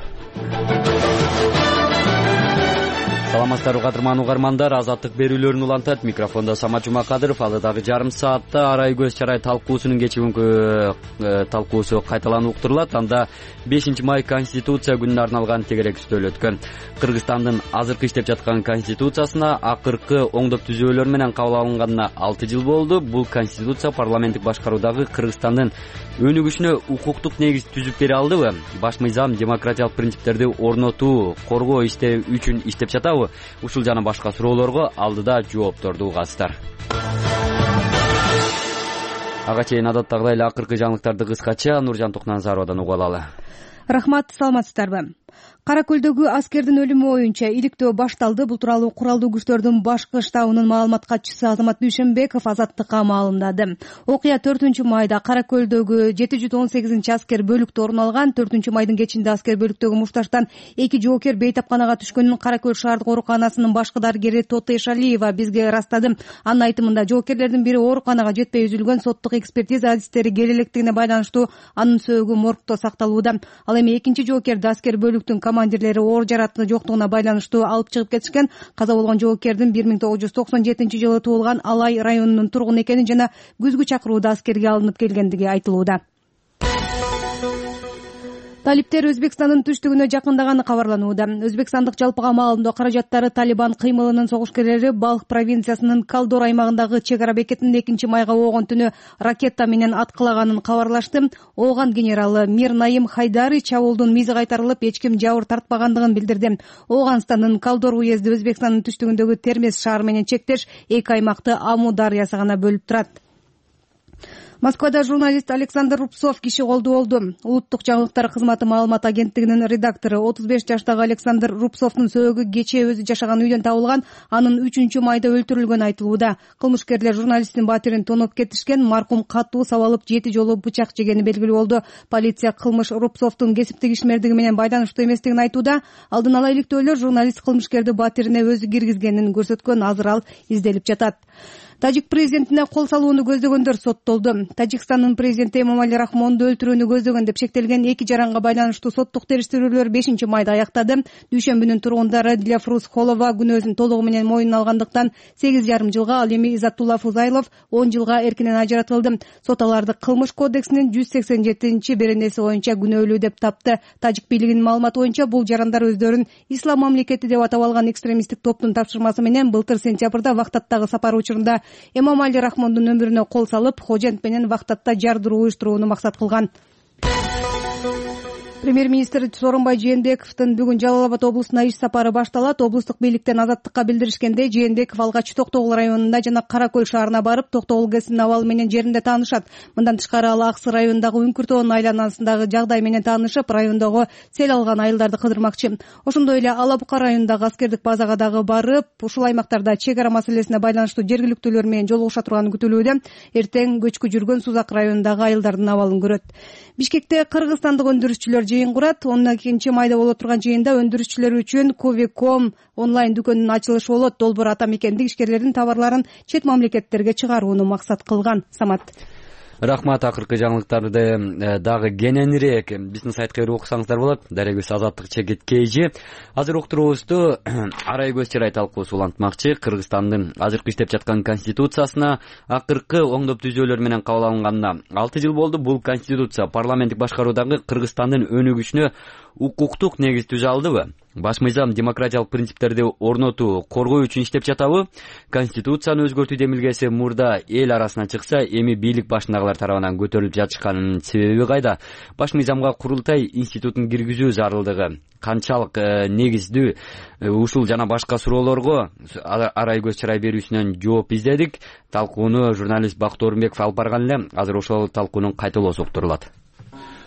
Саламатсыздарбы кадырман угармандар, Азаттык берүүлөрүн улантат. Микрофондо Самат Жумакадыров. Алдагы жарым саатта арай көз чарай талкуусунун кечүүнкү талкуусу кайталанып уктурулат. Анда 5-май Конституция күнүнө арналган тегерек үстөл өткөн. Кыргызстандын азыркы иштеп жаткан конституциясына акыркы оңдоп түзөөлөр менен кабыл алынганына 6 жыл болду. Бул конституция парламенттик башкаруудагы Кыргызстандын өнүгүшүнө укуктук негиз түзүп бере алдыбы? Баш мыйзам демократиялык принциптерди орнотуу, коргоо үчүн иштеп жатабы? Ушул жана башка суроолорго алдыда жоопторду угасыздар. Ага чейин адаттагыдай эле акыркы жаңылыктарды кыскача Нуржан Тукназаровадан угуп алалы. Рахмат, саламатсыздарбы? Кара көлдөгү аскердин өлүмү боюнча иликтөө башталды. Бул тууралуу куралдуу күчтөрдүн башкы штабынын маалымат катчысы Азамат Дүйшөнбеков Азаттыкка маалымдады. Окуя 4-майда Кара көлдөгү 718-аскер бөлүктө орун алган. 4-майдын кечинде аскер бөлүктөгү мушташтан 2 жоокер бейтапканага түшкөнүн Кара көл шаардык ооруканасынын башкы дарыгери Тоты Эшалиева бизге ырастады. Анын айтымында жоокерлердин бири ооруканага жетпей үзүлгөн. Соттук экспертиза адистери келе электигине байланыштуу анын сөөгү моргдо сакталууда. Ал эми экинчи жоокерди аскер бөлүктүн командирлери оор жаракаты жоктугуна байланыштуу алып чыгып кетишкен. Каза болгон жоокердин 1997-жылы туулган Алай районунун тургуну экени жана күзгү чакырууда аскерге алынып келгендиги айтылууда. Талиптер Өзбекстандын түштүгүнө жакындаганы кабарланууда. Өзбекстандык жалпыга маалымдоо каражаттары Талибан кыймылынын согушкерлери Балх провинциясынын Калдор аймагындагы чек ара бекетин 2-майга оогон түнү ракета менен аткылаганын кабарлашты. Ооган генералы Мир Наим Хайдари чабуулдун мизи кайтарылып, эч ким жабыр тартпагандыгын билдирди. Ооганстандын Калдор уезди Өзбекстандын түштүгүндөгү Термес шаары менен чектеш эки аймакты Аму дарыясы гана бөлүп турат. Москвада журналист Александр Рубцов киши колдуу болду. Улуттук жаңылыктар кызматы маалымат агенттигинин редактору 35 жаштагы Александр Рубцовдун сөөгү кечээ өзү жашаган үйдөн табылган. Анын 3-майда өлтүрүлгөнү айтылууда. Кылмышкерлер журналисттин батирин тоноп кетишкен. Маркум катуу сабалып 7 жолу бычак жегени белгилүү болду. Полиция кылмыш Рубцовдун кесиптик ишмердиги менен байланыштуу эместигин айтууда. Алдын ала иликтөөлөр журналист кылмышкерди батирине өзү киргизгенин көрсөткөн. Азыр ал изделип жатат. Тажик президентине кол салууну көздөгөндөр соттолду. Тажикстандын президенти Эмомали Рахмонду өлтүрүүнү көздөгөн деп шектелген эки жаранга байланыштуу соттук териштирүүлөр 5-майда аяктады. Дүйшөмбүнүн тургундары Дилафруз Холова күнөөсүн толугу менен мойнуна алгандыктан 8,5 жылга, ал эми Изаттулла Фузайлов 10 жылга эркинен ажыратылды. Сот аларды кылмыш кодексинин 187-беренеси боюнча күнөөлүү деп тапты. Тажик бийлигинин маалыматы боюнча бул жарандар өздөрүн Ислам мамлекети деп атап алган экстремисттик топтун тапшырмасы менен былтыр сентябрда Вахтаттагы сапар учурунда Эмомали Рахмондун өмүрүнө кол салып, Хожент менен Вахтатта жардыруу уюштурууну максат кылган. Премьер-министр Сооронбай Жээнбековдун бүгүн Жалал Абад облусуна иш сапары башталат. Облустук бийликтен Азаттыкка билдиришкенде, Жээнбеков алгач Токтогул районунда жана Кара көл шаарына барып, Токтогул ГЭСинин абалы менен жеринде таанышат. Мындан тышкары ал Аксы районундагы Үңкүртөөнүн айланасындагы жагдай менен таанышып, райондогу сел алган айылдарды кыдырмакчы. Ошондой эле Ала Бука районундагы аскердик базага дагы барып, ушул аймактарда чек ара маселесине байланыштуу жергиликтүүлөр менен жолугуша турганы күтүлүүдө. Эртең көчкү жүргөн Сузак районундагы айылдардын абалын көрөт. Бишкекте кыргызстандык өндүрүшчүлөр жыйын курат. 12-майда боло турган жыйында өндүрүшчүлөр үчүн Ковиком онлайн дүкөнүнүн ачылышы болот. Долбоор ата мекендик ишкерлердин товарларын чет мамлекеттерге чыгарууну максат кылган. Самат. Рахмат. Акыркы жаңылыктарды дагы кененирээк биздин сайтка кирип окусаңыздар болот. Дарегүл Азаттык чекит кейжи. Азыр уктуруубузду арай көз чырай талкуусу улантмакчы. Кыргызстандын азыркы иштеп жаткан конституциясына акыркы оңдоп түзөөлөр менен кабыл алынганына 6 жыл болду. Бул конституция парламенттик башкаруудагы Кыргызстандын өнүгүшүнө укуктук негиз түзө алдыбы? Баш мыйзам демократиялык принциптерди орнотуу, коргоо үчүн иштеп жатабы? Конституцияны өзгөртүү демилгеси мурда эл арасына чыкса, эми бийлик башындагылар тарабынан көтөрүлүп жатышканынын себеби кайда? Баш мыйзамга курултай институтун киргизүү зарылдыгы канчалык негиздүү? Ушул жана башка суроолорго арай көз чырай берүүсүнөн жооп издедик. Талкууну журналист Бакыт Орунбеков алып барган эле. Азыр ошол талкуунун кайталоосу уктурулат.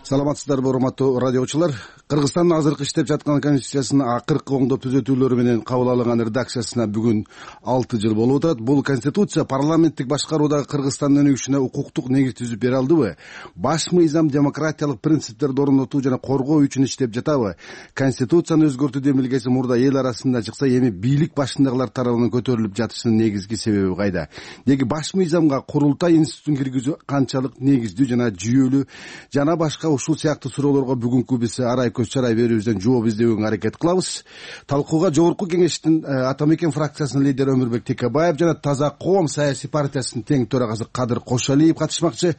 Саламатсыздарбы, урматтуу радиочулар. Кыргызстандын азыркы иштеп жаткан конституциясынын акыркы оңдоп түзөтүүлөрү менен кабыл алынган редакциясына бүгүн 6 жыл болуп атат. Бул конституция парламенттик башкаруудагы Кыргызстандын өнүгүшүнө укуктук негиз түзүп бере алдыбы? Баш мыйзам демократиялык принциптерди орнотуу жана коргоо үчүн иштеп жатабы? Конституцияны өзгөртүү демилгеси мурда эл арасында чыкса, эми бийлик башындагылар тарабынан көтөрүлүп жатышынын негизги себеби кайда? Деги баш мыйзамга курултай институтун киргизүү канчалык негиздүү жана жүйөлүү жана башка ушул сыяктуу суроолорго бүгүнкү биз арай көз чарай берүүбүздөн жооп издөгөнгө аракет кылабыз. Талкууга Жогорку Кеңештин Атамекен фракциясынын лидери Өмүрбек Текебаев жана Таза Коом саясий партиясынын тең төрагасы Кадыр Кошалиев катышмакчы.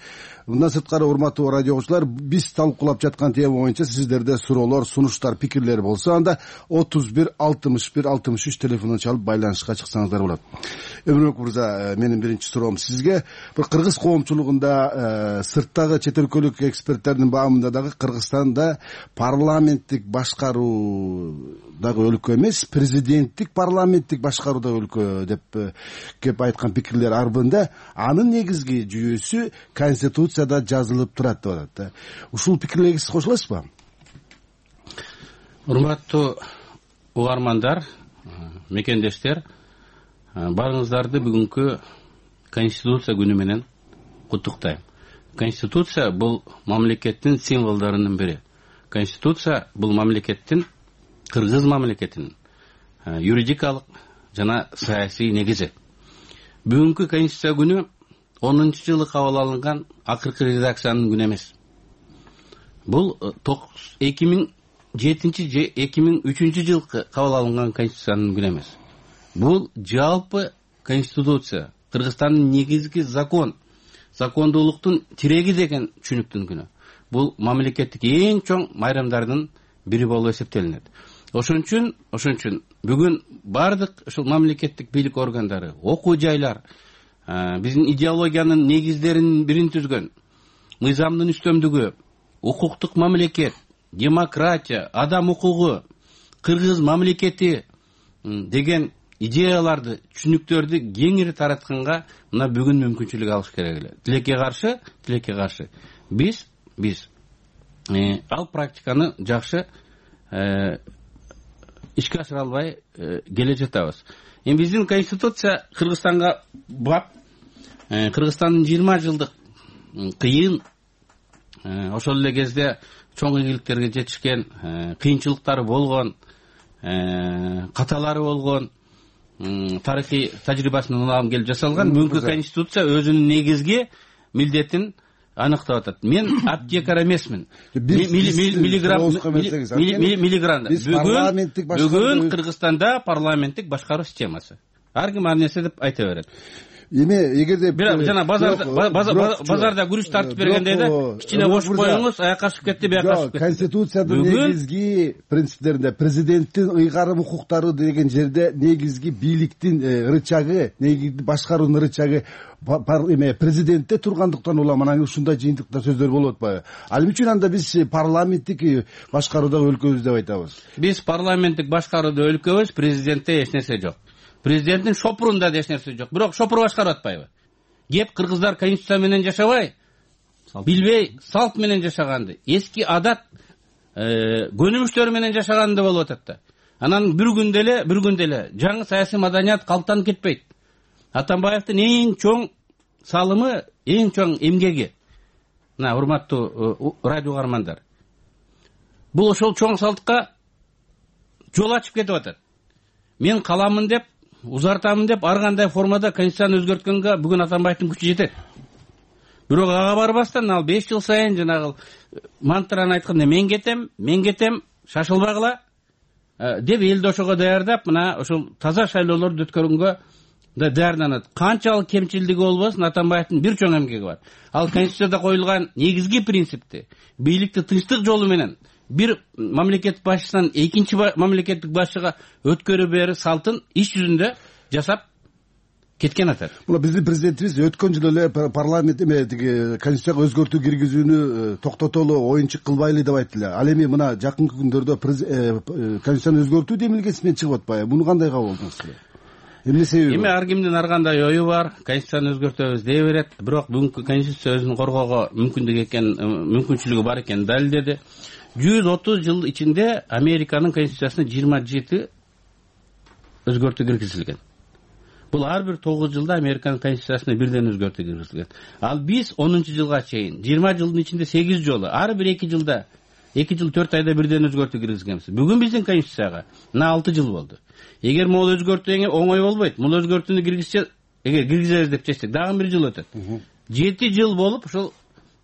Мындан сырткары, урматтуу радиочулар, биз талкуулап жаткан тема боюнча сиздерде суроолор, сунуштар, пикирлер болсо, анда 31 61 63 телефонун чалып байланышка чыксаңыздар болот. Өмүрбек мырза, менин биринчи суроом сизге. Бир кыргыз коомчулугунда сырттагы чет өлкөлүк эксперттердин баамында дагы Кыргызстанда парламенттик башкаруудагы өлкө эмес, президенттик парламенттик башкаруудагы өлкө деп кеп айткан пикирлер арбында. Анын негизги жүйөсү конституцияда жазылып турат деп атат. Ушул пикирлерге сиз кошуласызбы? Урматтуу угармандар, мекендештер, баарыңыздарды бүгүнкү конституция күнү менен куттуктайм. Конституция бул мамлекеттин символдорунун бири. Конституция бул мамлекеттин, кыргыз мамлекетинин юридикалык жана саясий негизи. Бүгүнкү конституция күнү 10-жылы кабыл алынган акыркы редакциянын күнү эмес. Бул 2007 же 2003 жылкы кабыл алынган конституциянын күнү эмес. Бул жалпы конституция, Кыргызстандын негизги закон, закондуулуктун тиреги деген түшүнүктүн күнү. Бул мамлекеттик эң чоң майрамдардын бири болуп эсептелинет. Ошон үчүн бүгүн бардык ушул мамлекеттик бийлик органдары, окуу жайлар биздин идеологиянын негиздеринин бирин түзгөн, мыйзамдын үстөмдүгү, укуктук мамлекет, демократия, адам укугу, кыргыз мамлекети деген идеяларды, түшүнүктөрдү кеңири таратканга мына бүгүн мүмкүнчүлүк алыш керек эле. Тилекке каршы биз ал практиканы жакшы ишке ашыра албай келе жатабыз. Эми биздин конституция Кыргызстанга бап, Кыргызстандын 20 жылдык кыйын, ошол эле кезде чоң ийгиликтерге жетишкен, кыйынчылыктары болгон, каталары болгон тарыхый тажрыйбасынан улам келип жасалган бүгүнкү конституция өзүнүн негизги милдетин аныктап атат. Мен аптекар эмесмин. Бүгүн Кыргызстанда парламенттик башкаруу системасы. Ар ким ар нерсе деп айта берет. Эми эгерде жана базарда күрүч тартып бергенде да кичине бошуп коюңуз, аякка ашып кетти, бияка ашып кетти. Конституциянын негизги принциптеринде президенттин ыйгарым укуктары деген жерде негизги бийликтин рычагы, негизги башкаруунун рычагы президентте тургандыктан улам анан ушундай жыйынтыктар сөздөр болуп атпайбы? Ал үчүн анда биз парламенттик башкаруудагы өлкөбүз деп айтабыз. Биз парламенттик башкарууда өлкөбүз, президентте эч нерсе жок. Президенттин шопурунда эч нерсе жок. Бирок шопур башкарып атпайбы? Кеп кыргыздар конституция менен жашабай, билбей, салт менен жашаганды, эски адат, көнүмүштөр менен жашаганды болуп атат да. Анан бир күндө эле жаңы саясий маданият калыптанып кетпейт. Атамбаевдин эң чоң салымы, эң чоң эмгеги. Мына урматтуу радио угармандар. Бул ошол чоң салтка жол ачып кетип атат. Мен каламын деп, узартамын деп, ар кандай формада конституцияны өзгөрткөнгө бүгүн Атамбаевдин күчү жетет. Бирок ага барбастан ал 5 жыл сайын жанагы мантраны айтканда мен кетем, шашылбагыла деп элди ошого даярдап, мына ошол таза шайлоолорду өткөргөнгө да даярданат. Канчалык кемчилдиги болбосун, Атамбаевдин бир чоң эмгеги бар. Ал конституцияда коюлган негизги принципти, бийликти тынчтык жолу менен бир мамлекет башчысынан экинчи мамлекеттик башчыга өткөрүп берүү салтын иш жүзүндө жасап кеткен атат. Мына биздин президентибиз өткөн жылы эле парламент тиги конституцияга өзгөртүү киргизүүнү токтотолу, оюнчук кылбайлы деп айтты эле. Ал эми мына жакынкы күндөрдө конституцияны өзгөртүү демилгеси менен чыгып атпайбы? Муну кандай кабыл алдыңыз? Эмне себеби? Эми ар кимдин ар кандай ою бар, конституцияны өзгөртөбүз дей берет, бирок бүгүнкү конституция өзүн коргоого мүмкүнчүлүгү бар экенин далилдеди. 130 жыл ичинде Американын конституциясына 27 өзгөртүү киргизилген. Бул ар бир 9 жылда Американын конституциясына бирден өзгөртүү киргизилген. Ал биз 10 жылга чейин 20 жылдын ичинде 8 жолу, ар бир 2 жылда 2 жыл 4 айда бирден өзгөртүү киргизгенбиз. Бүгүн биздин конституцияга мына 6 жыл болду. Эгер могул өзгөртүү оңой болбойт, бул өзгөртүүнү киргизебиз деп чечсек, дагы 1 жыл өтөт. 7 жыл болуп ушул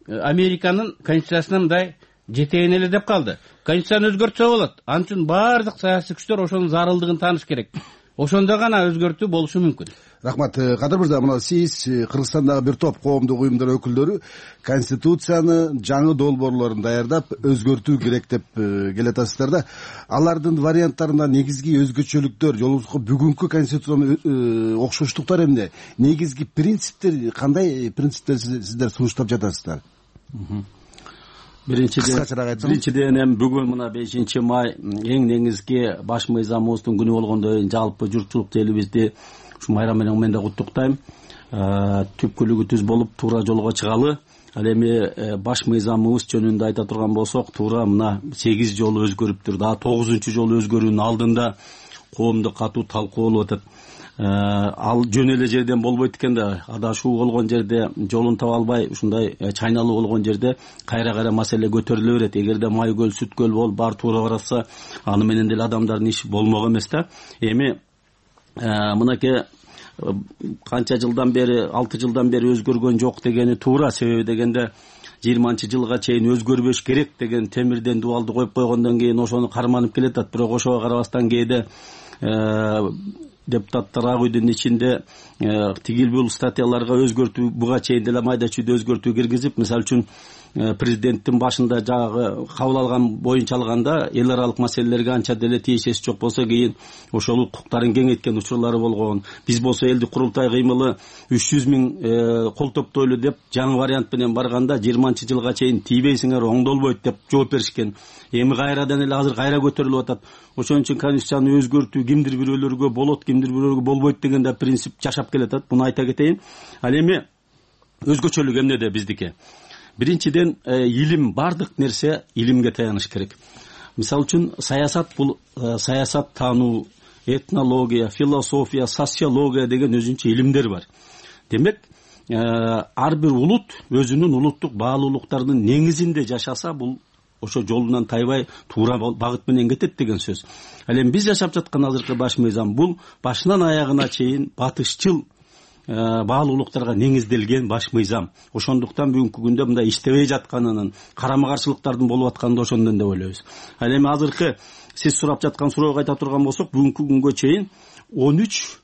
Американын конституциясына мындай жетейин эле деп калды. Конституцияны өзгөртсө болот. Ал үчүн баардык саясий күчтөр ошонун зарылдыгын тааныш керек. Ошондо гана өзгөртүү болушу мүмкүн. Рахмат. Кадыр мырза, мына сиз Кыргызстандагы бир топ коомдук уюмдар өкүлдөрү конституцияны жаңы долбоорлорун даярдап өзгөртүү керек деп келатасыздар да. Алардын варианттарында негизги өзгөчөлүктөр, жолубузга бүгүнкү конституциянын окшоштуктары эмне? Негизги принциптер кандай принциптер сиздер сунуштап жатасыздар? Биринчиден эми бүгүн мына 5 май эң негизги баш мыйзамыбыздын күнү болгондон жалпы журтчулук элибизди ушу майрам менен да куттуктайм. Түпкүлүгү түз болуп туура жолго чыгалы. Ал эми баш мыйзамыбыз жөнүндө айта турган болсок, туура мына 8 жолу өзгөрүптүр. Дагы 9-жолу өзгөрүүнүн алдында коомдук катуу талкуу болуп атат. Ал жөн эле жерден болбойт экен да, адашуу болгон жерде, жолун таба албай ушундай чайналуу болгон жерде кайра маселе көтөрүлө берет. Эгерде Майкөл, Сүткөл болуп баары туура баратса, аны менен деле адамдардын иши болмок эмес да. Эми мынакей канча жылдан бери, 6 жылдан бери өзгөргөн жок дегени туура. Себеби дегенде 20-жылга чейин өзгөрбөш керек деген темирден дубалды коюп койгондон кийин ошону карманып келатат. Бирок ошого карабастан кээде депутаттар ак үйдүн ичинде тигил бул статьяларга өзгөртүү, буга чейин деле майда чүйдө өзгөртүү киргизип, мисалы үчүн президенттин башында жагы кабыл алган боюнча алганда эл аралык маселелерге анча деле тиешеси жок болсо, кийин ошол укуктарын кеңейткен учурлары болгон. Биз болсо элдик курултай кыймылы 300 000 кол топтойлу деп жаңы вариант менен барганда 20-жылга чейин тийбейсиңер, оңдолбойт деп жооп беришкен. Эми кайрадан эле азыр кайра көтөрүлүп атат. Ошон үчүн конституцияны өзгөртүү кимдир бирөөлөргө болот, кимдир бирөөлөргө болбойт деген да принцип жашап келатат. Муну айта кетейин. Ал эми өзгөчөлүк эмнеде биздики? Биринчиден, илим, бардык нерсе илимге таяныш керек. Мисалы үчүн саясат бул саясат таануу, этнология, философия, социология деген өзүнчө илимдер бар. Демек, ар бир улут өзүнүн улуттук баалуулуктарынын негизинде жашаса, бул ошо жолунан тайбай туура багыт менен кетет деген сөз. Ал эми биз жашап жаткан азыркы баш мыйзам бул башынан аягына чейин батышчыл баалуулуктарга негизделген баш мыйзам. Ошондуктан бүгүнкү күндө мындай иштебей жатканынын, карама каршылыктардын болуп атканын да ошондон деп ойлойбуз. Ал эми азыркы сиз сурап жаткан суроого айта турган болсок, бүгүнкү күнгө чейин 13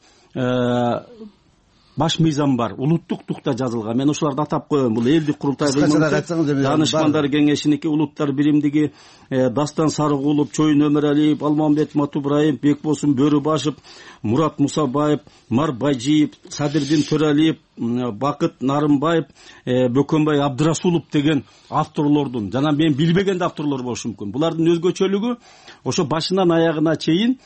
баш мыйзам бар. Улуттук тукта жазылган. Мен ошолорду атап коем. Бул элдик курултай Данышмандар кеңешиники, Улуттар биримдиги, Дастан Сарыгулов, Чоюн Өмөралиев, Алмамбет Матубраев, Бекбосун Бөрүбашев, Мурат Мусабаев, Мар Байжиев, Садырдин Төралиев, Бакыт Нарымбаев, Бөкөнбай Абдырасулов деген авторлордун, жана мен билбеген да авторлор болушу мүмкүн. Булардын өзгөчөлүгү ошо башынан аягына чейин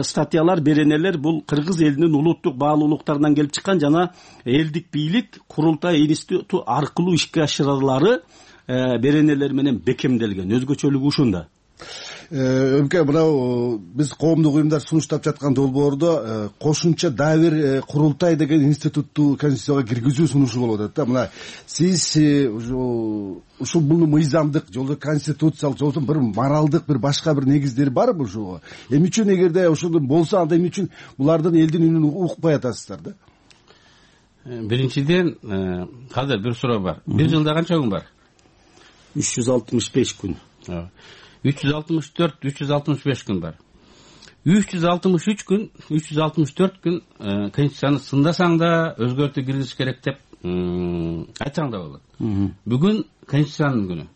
статьялар, беренелер бул кыргыз элинин улуттук баалуулуктарынан келип чыккан жана элдик бийлик курултай институту аркылуу ишке ашырылары беренелер менен бекемделген. Өзгөчөлүгү ушунда. Өмке, мынау биз коомдук уюмдар сунуштап жаткан долбоордо кошумча дагы бир курултай деген институтту конституцияга киргизүү сунушу болуп атат да. Мына сиз ушул бул мыйзамдык жолдо конституциялык жолдо бир моралдык бир башка бир негиздери барбы ушуга? Эмне үчүн эгерде ошондой болсо, анда эмне үчүн булардын элдин үнүн укпай атасыздар да? Биринчиден, азыр бир суроо бар. Бир жылда канча күн бар? 365 күн. 364, 365 күн бар. 363 күн, 364 күн конституцияны сындасаң да өзгөртүү киргизиш керек деп айтсаң да болот. Бүгүн конституциянын күнү.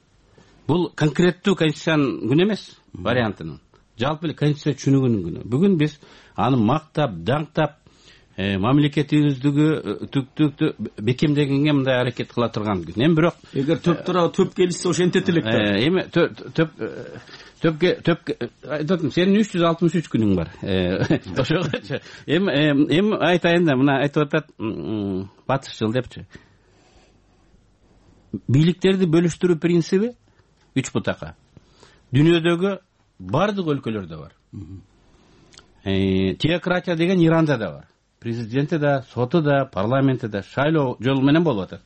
бул конкреттүү конституциянын күнү эмес, вариантынын. Жалпы эле конституция түшүнүгүнүн күнү. Бүгүн биз аны мактап, даңктап, мамлекетибиздиги бекемдегенге мындай аракет кыла турган күн. Эми бирок эгер төп келишсе ошо энтет элек да. Эми төп айтатым, сенин 363 күнүң бар. Ошогочу. Эми айтайын да, мына айтып атат батышчыл депчи. Бийликтерди бөлүштүрүү принциби 3 бутакка. Дүйнөдөгү бардык өлкөлөрдө бар. Теократия деген Иранда да бар. Президенти да, соту да, парламенти да шайлоо жолу менен болуп атат.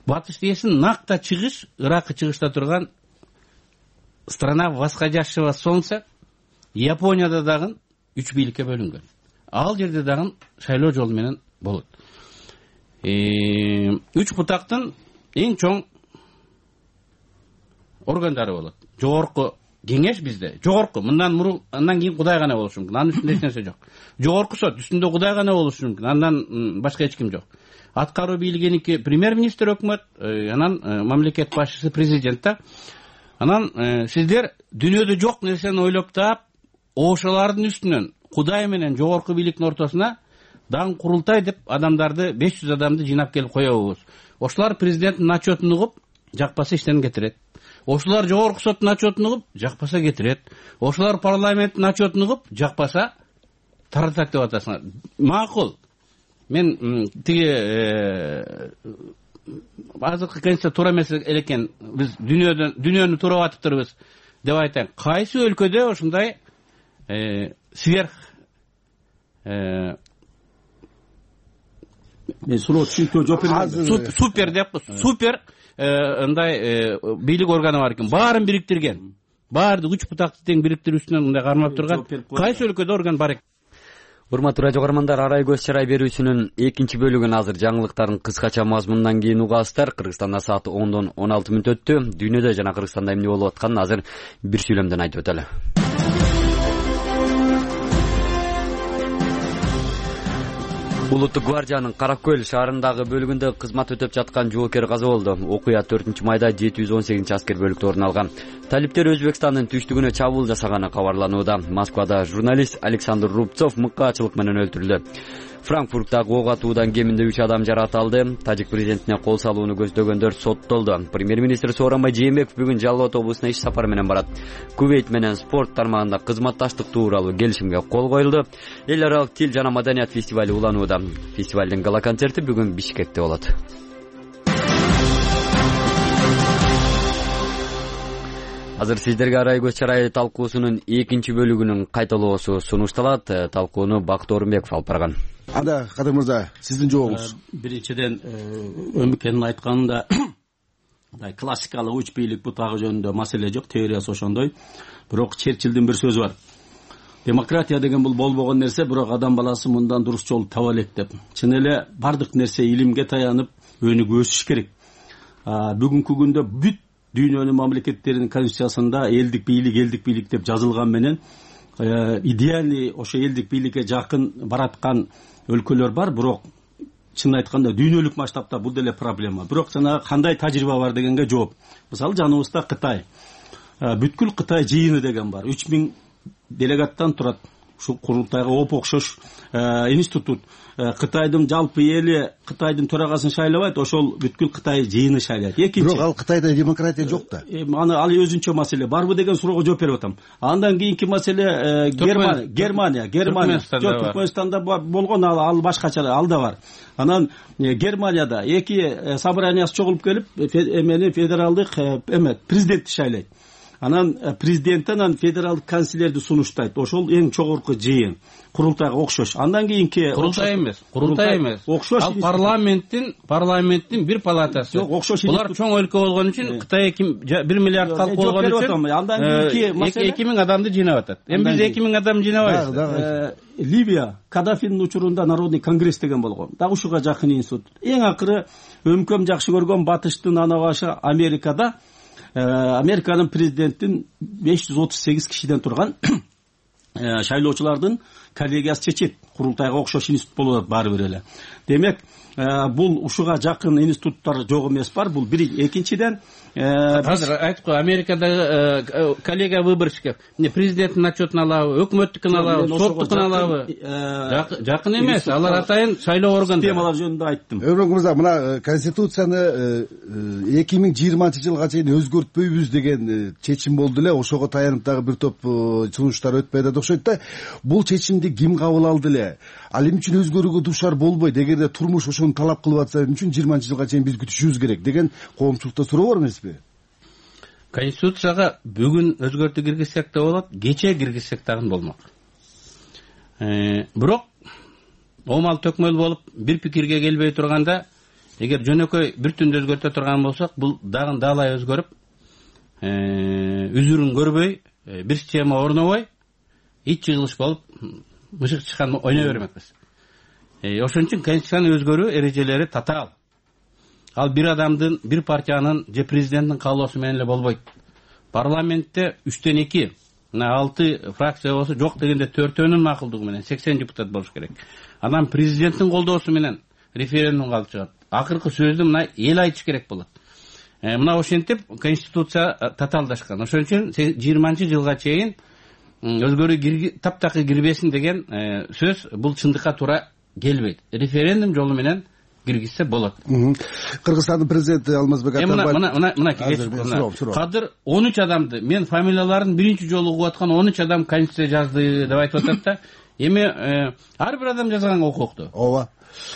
Батыш десин накта чыгыш, Иракы чыгышта турган страна восходящего солнца Японияда дагы 3 бийликке бөлүнгөн. Ал жерде дагы шайлоо жолу менен болот. 3 бутактын эң чоң органдары болот. Жогорку кеңеш бизде, жогорку, андан кийин Кудай гана болушу мүмкүн. Анын үстүндө эч нерсе жок. Жогорку сот, үстүндө Кудай гана болушу мүмкүн. Андан башка эч ким жок. Аткаруу бийлигиники премьер-министр, өкмөт, анан мамлекет башчысы, президент да. Анан сиздер дүйнөдө жок нерсени ойлоп таап, ошолордун үстүнөн Кудай менен жогорку бийликтин ортосуна даң курултай деп адамдарды 500 адамды жыйнап келип коебуз. Ошолор президенттин отчетун угуп, жакпаса иштен кетирет. Ошолор жогорку соттун отчетун угуп, жакпаса кетирет. Ошолор парламенттин отчетун угуп, жакпаса таратат деп атасыңар. Макул. Мен тиги азыркы конституция туура эмес экен. Биз дүйнөнү туурап атыптырбыз деп айтайын. Кайсы өлкөдө ушундай сверх мен суроо түшүнүктүү жооп берем. Супер деп, супер ындай бийлик органы бар экен. Баарын бириктирген. Баардык 3 бутакты тең бириктирүү үстүнөн мындай кармап турган кайсы өлкөдө орган бар экен? Урматтуу радио көрөрмандар, арай көз чарай берүүсүнүн экинчи бөлүгүн азыр жаңылыктардын кыскача мазмунунан кийин угасыздар. Кыргызстанда саат 10:16 өттү. Дүйнөдө жана Кыргызстанда эмне болуп атканын азыр бир сүйлөмдөн айтып өтөлү. Улуттук гвардиянын Каракөл шаарындагы бөлүгүндө кызмат өтөп жаткан жоокер каза болду. Окуя 4-майда 718 аскер бөлүктө орун алган. Талиптер Өзбекстандын түштүгүнө чабуул жасаганы кабарланууда. Москвада журналист Александр Рубцов мыкаачылык менен өлтүрүлдү. Франкфурттагы ок атуудан кеминде 3 адам жаракат. Тажик президентине кол салууну көздөгөндөр соттолду. Премьер-министр Сооронбай Жээнбеков бүгүн Жалал Абад облусуна иш сапар менен барат. Кувейт менен спорт тармагында кызматташтык тууралуу келишимге кол коюлду. Эл аралык тил жана маданият фестивали уланууда. Фестивалдын гала концерти бүгүн Бишкекте болот. Азыр сиздерге арай көз чарай талкуусунун экинчи бөлүгүнүн кайталоосу сунушталат. Талкууну Бакыт Орунбеков алып барган. Анда Кадыр мырза, сиздин жообуңуз. Биринчиден Өмүкенин айтканында классикалык 3 бийлик бутагы жөнүндө маселе жок, теориясы ошондой. Бирок Черчиллдин бир сөзү бар. Демократия деген бул болбогон нерсе, бирок адам баласы мындан дурус жол таба элек деп. Чын эле бардык нерсе илимге таянып өнүгүп өсүш керек. Бүгүнкү күндө бүт дүйнөнүн мамлекеттеринин конституциясында элдик бийлик деп жазылган менен идеальный ошо элдик бийликке жакын бараткан өлкөлөр бар, бирок чын айтканда дүйнөлүк масштабта бул деле проблема. Бирок жана кандай тажрыйба бар дегенге жооп. Мисалы жаныбызда Кытай. Бүткүл Кытай жыйыны деген бар. 3000 делегаттан турат. Ушул курултайга оп окшош институт. Кытайдын жалпы эли Кытайдын төрагасын шайлабайт, ошол бүткүл Кытай жыйыны шайлайт. Бирок ал Кытайда демократия жок да. Аны ал өзүнчө маселе. Барбы деген суроого жооп берип атам. Андан кийинки маселе Германия. Түркмөнстанда болгон, ал башкача, ал да бар. Анан Германияда эки собраниясы чогулуп келип, федералдык президентти шайлайт. Анан президент анан федералдык канцлерди сунуштайт. Ошол эң чогорку жыйын. Курултайга окшош. Андан кийинки курултай эмес. Окшош. Ал парламенттин бир палатасы. Жок, окшош. Булар чоң өлкө болгон үчүн Кытай 1 миллиард калк болгон үчүн андан кийинки маселе 2000 адамды жыйнап атат. Эми биз 2000 адам жыйнабайбыз. Ливия Кадафинин учурунда Народный конгресс деген болгон. Дагы ушуга жакын институт. Эң акыры өмкөм жакшы көргөн батыштын ана башы Америкада Американын президентин 538 кишиден турган шайлоочулардын коллегиясы чечет. Курултайга окшош институт болуп атат баары бир эле. Демек, бул ушуга жакын институттар жок эмес бар. Бул бир. Экинчиден азыр айттык го, Америкадагы коллега выборщиков президенттин отчетун алабы, өкмөттүкүн алабы, соттукун алабы, жакын эмес. Алар атайын шайлоо органдары. Системалар жөнүндө айттым. Өргөн мырза, мына конституцияны 2020 чейин өзгөртпөйбүз деген чечим болду эле. Ошого таянып дагы бир топ сунуштар өтпөй атат окшойт да. Бул чечимди ким кабыл алды эле? Ал эмне үчүн өзгөрүүгө дуушар болбойт? Эгерде турмуш ошону талап кылып атса, эмне үчүн 20 чейин биз күтүшүбүз керек деген коомчулукта суроо бар эмеспи? Конституцияга бүгүн өзгөртүү киргизсек да болот, кече киргизсек дагы болмок. Бирок омал төкмөл болуп бир пикирге келбей турганда, эгер жөнөкөй бир түндө өзгөртө турган болсок, бул дагы даалай өзгөрүп, үзүрүн көрбөй, бир система орнобой, ич жыгылыш болуп, мышык чыккан ойной бермекпиз. Ошон үчүн конституциянын өзгөрүү эрежелери татаал. Ал бир адамдын, бир партиянын же президенттин каалоосу менен эле болбойт. Парламентте 3/2, 6 фракция болсо, жок дегенде 4-өнүн макулдугу менен 80 депутат болуш керек. Анан президенттин колдоосу менен референдум калып чыгат. Акыркы сөздү мына эл айтыш керек болот. Мына ошентип конституция татаалдашкан. Ошон үчүн 20-жылга чейин өзгөрүү таптакыр кирбесин деген сөз бул чындыкка туура келбейт. Референдум жолу менен киргизсе болот. Кыргызстандын президенти Алмазбек Атамбаев мына кадыр 13 адамды, мен фамилияларын биринчи жолу угуп аткан 13 адам конституция жазды деп айтып атат да. Эми ар бир адам жазганга укуктуу. Ооба.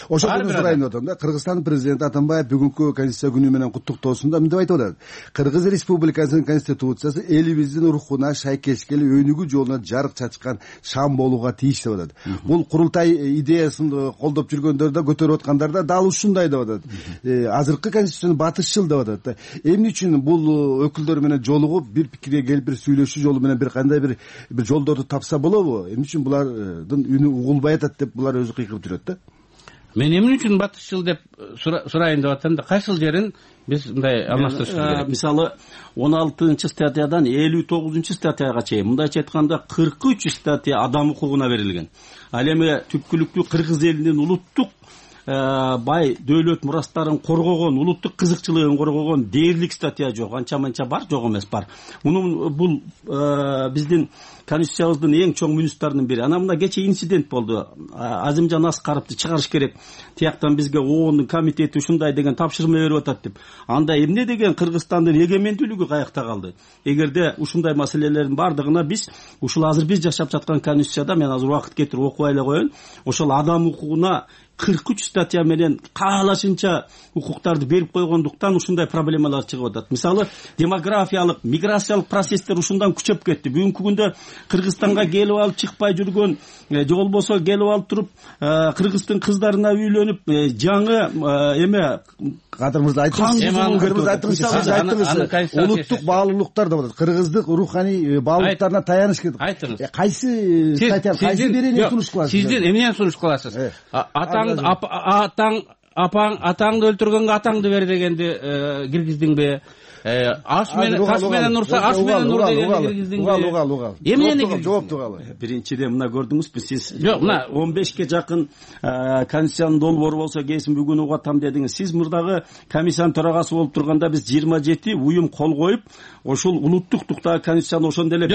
Ошондо сурайын деп атам да. Кыргызстандын президенти Атамбаев бүгүнкү конституция күнү менен куттуктоосунда мындай айтып атат. Кыргыз Республикасынын конституциясы элибиздин рухуна шайкеш келип, өнүгүү жолуна жарык чачкан шам болууга тийиш деп атат. Бул курултай идеясын колдоп жүргөндөр да, көтөрүп аткандар да дал ушундай деп атат. Азыркы конституцияны батышчыл деп атат. Эмне үчүн бул өкүлдөр менен жолугуп, бир пикирге келип, бир сүйлөшүү жолу менен бир кандай бир жолдорду тапса болобу? Эмне үчүн булардын үнү угулбай атат деп булар өзү кыйкырып жүрөт да? Мен эмне үчүн батышчыл деп сурайын деп атам да, кайсыл жерин биз мындай алмаштырышыбыз керек. Мисалы 16-статьядан 59-статьяга чейин мындайча айтканда 43 статья адам укугуна берилген. Ал эми түпкүлүктүү кыргыз элинин улуттук бай дөөлөт мурастарын коргогон, улуттук кызыкчылыгын коргогон дээрлик статья жок. Анча-манча бар, жок эмес бар. Бул биздин конституциябыздын эң чоң мүнүстарынын бири. Анан мына кече инцидент болду. Азимжан Аскаровду чыгарыш керек. Тияктан бизге ООНдун комитети ушундай деген тапшырма берип атат деп. Анда эмне деген Кыргызстандын эгемендүүлүгү каякта калды? Эгерде ушундай маселелердин бардыгына биз ушул азыр биз жашап жаткан конституцияда, мен азыр убакыт кетирип окубай эле коеюн, ошол адам укугуна 43 статья менен каалашынча укуктарды берип койгондуктан ушундай проблемалар чыгып атат. Мисалы, демографиялык, миграциялык процесстер ушундан күчөп кетти. Бүгүнкү күндө Кыргызстанга келип алып чыкпай жүргөн, же болбосо келип алып туруп кыргыздын кыздарына үйлөнүп, жаңы эме Кадыр мырза айттыңыз, улуттук баалуулуктар деп атат. Кыргыздык руханий баалуулуктарына таяныш керек. Кайсы статья, кайсы берени сунуш кыласыз? Сиздер эмнени сунуш кыласыз? Атаңды өлтүргөнгө атаңды бер дегенди киргиздиңби? Аш менен таш менен урса, аш менен ур дегенди киргиздиңби? Угал. Эмнени жооптугалы? Биринчиден мына көрдүңүзбү сиз? Жок, мына 15ке жакын конституциянын долбоору болсо кесин бүгүн угуп атам дедиңиз. Сиз мурдагы комиссиянын төрагасы болуп турганда биз 27 уюм кол коюп, ошол улуттук туктагы конституцияны ошондо эле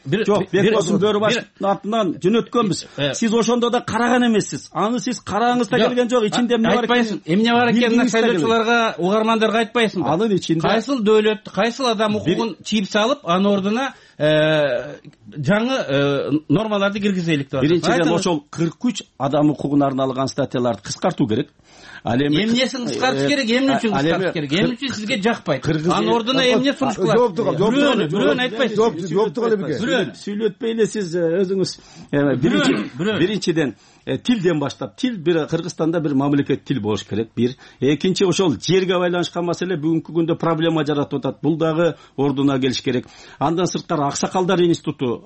Бекбосун Бөрүбашевдин атынан жөнөткөнбүз. Сиз ошондо да караган эмессиз. Аны сиз карагыңыз да келген жок. Ичинде эмне бар экен? Эмне бар экенин шайлоочуларга, угармандарга айтпайсыңбы? Анын ичинде кайсыл дөөлөт, кайсыл адам укугун чийип салып, анын ордуна жаңы нормаларды киргизелик деп атат. Биринчиден ошол 43 адам укугуна арналган статьяларды кыскартуу керек. Ал эми эмнесин кыскартыш керек, эмне үчүн кыскартыш керек? Эмне үчүн сизге жакпайт? Анын ордуна эмне сунуш кылат? Бирөөнү айтпайсыз. Жооптук эле бирге. Сүйлөтпөй эле сиз өзүңүз. Биринчиден тилден баштап, тил бир Кыргызстанда бир мамлекет тил болуш керек. Бир. Экинчи, ошол жерге байланышкан маселе бүгүнкү күндө проблема жаратып атат. Бул дагы ордуна келиш керек. Андан сырткары аксакалдар институту,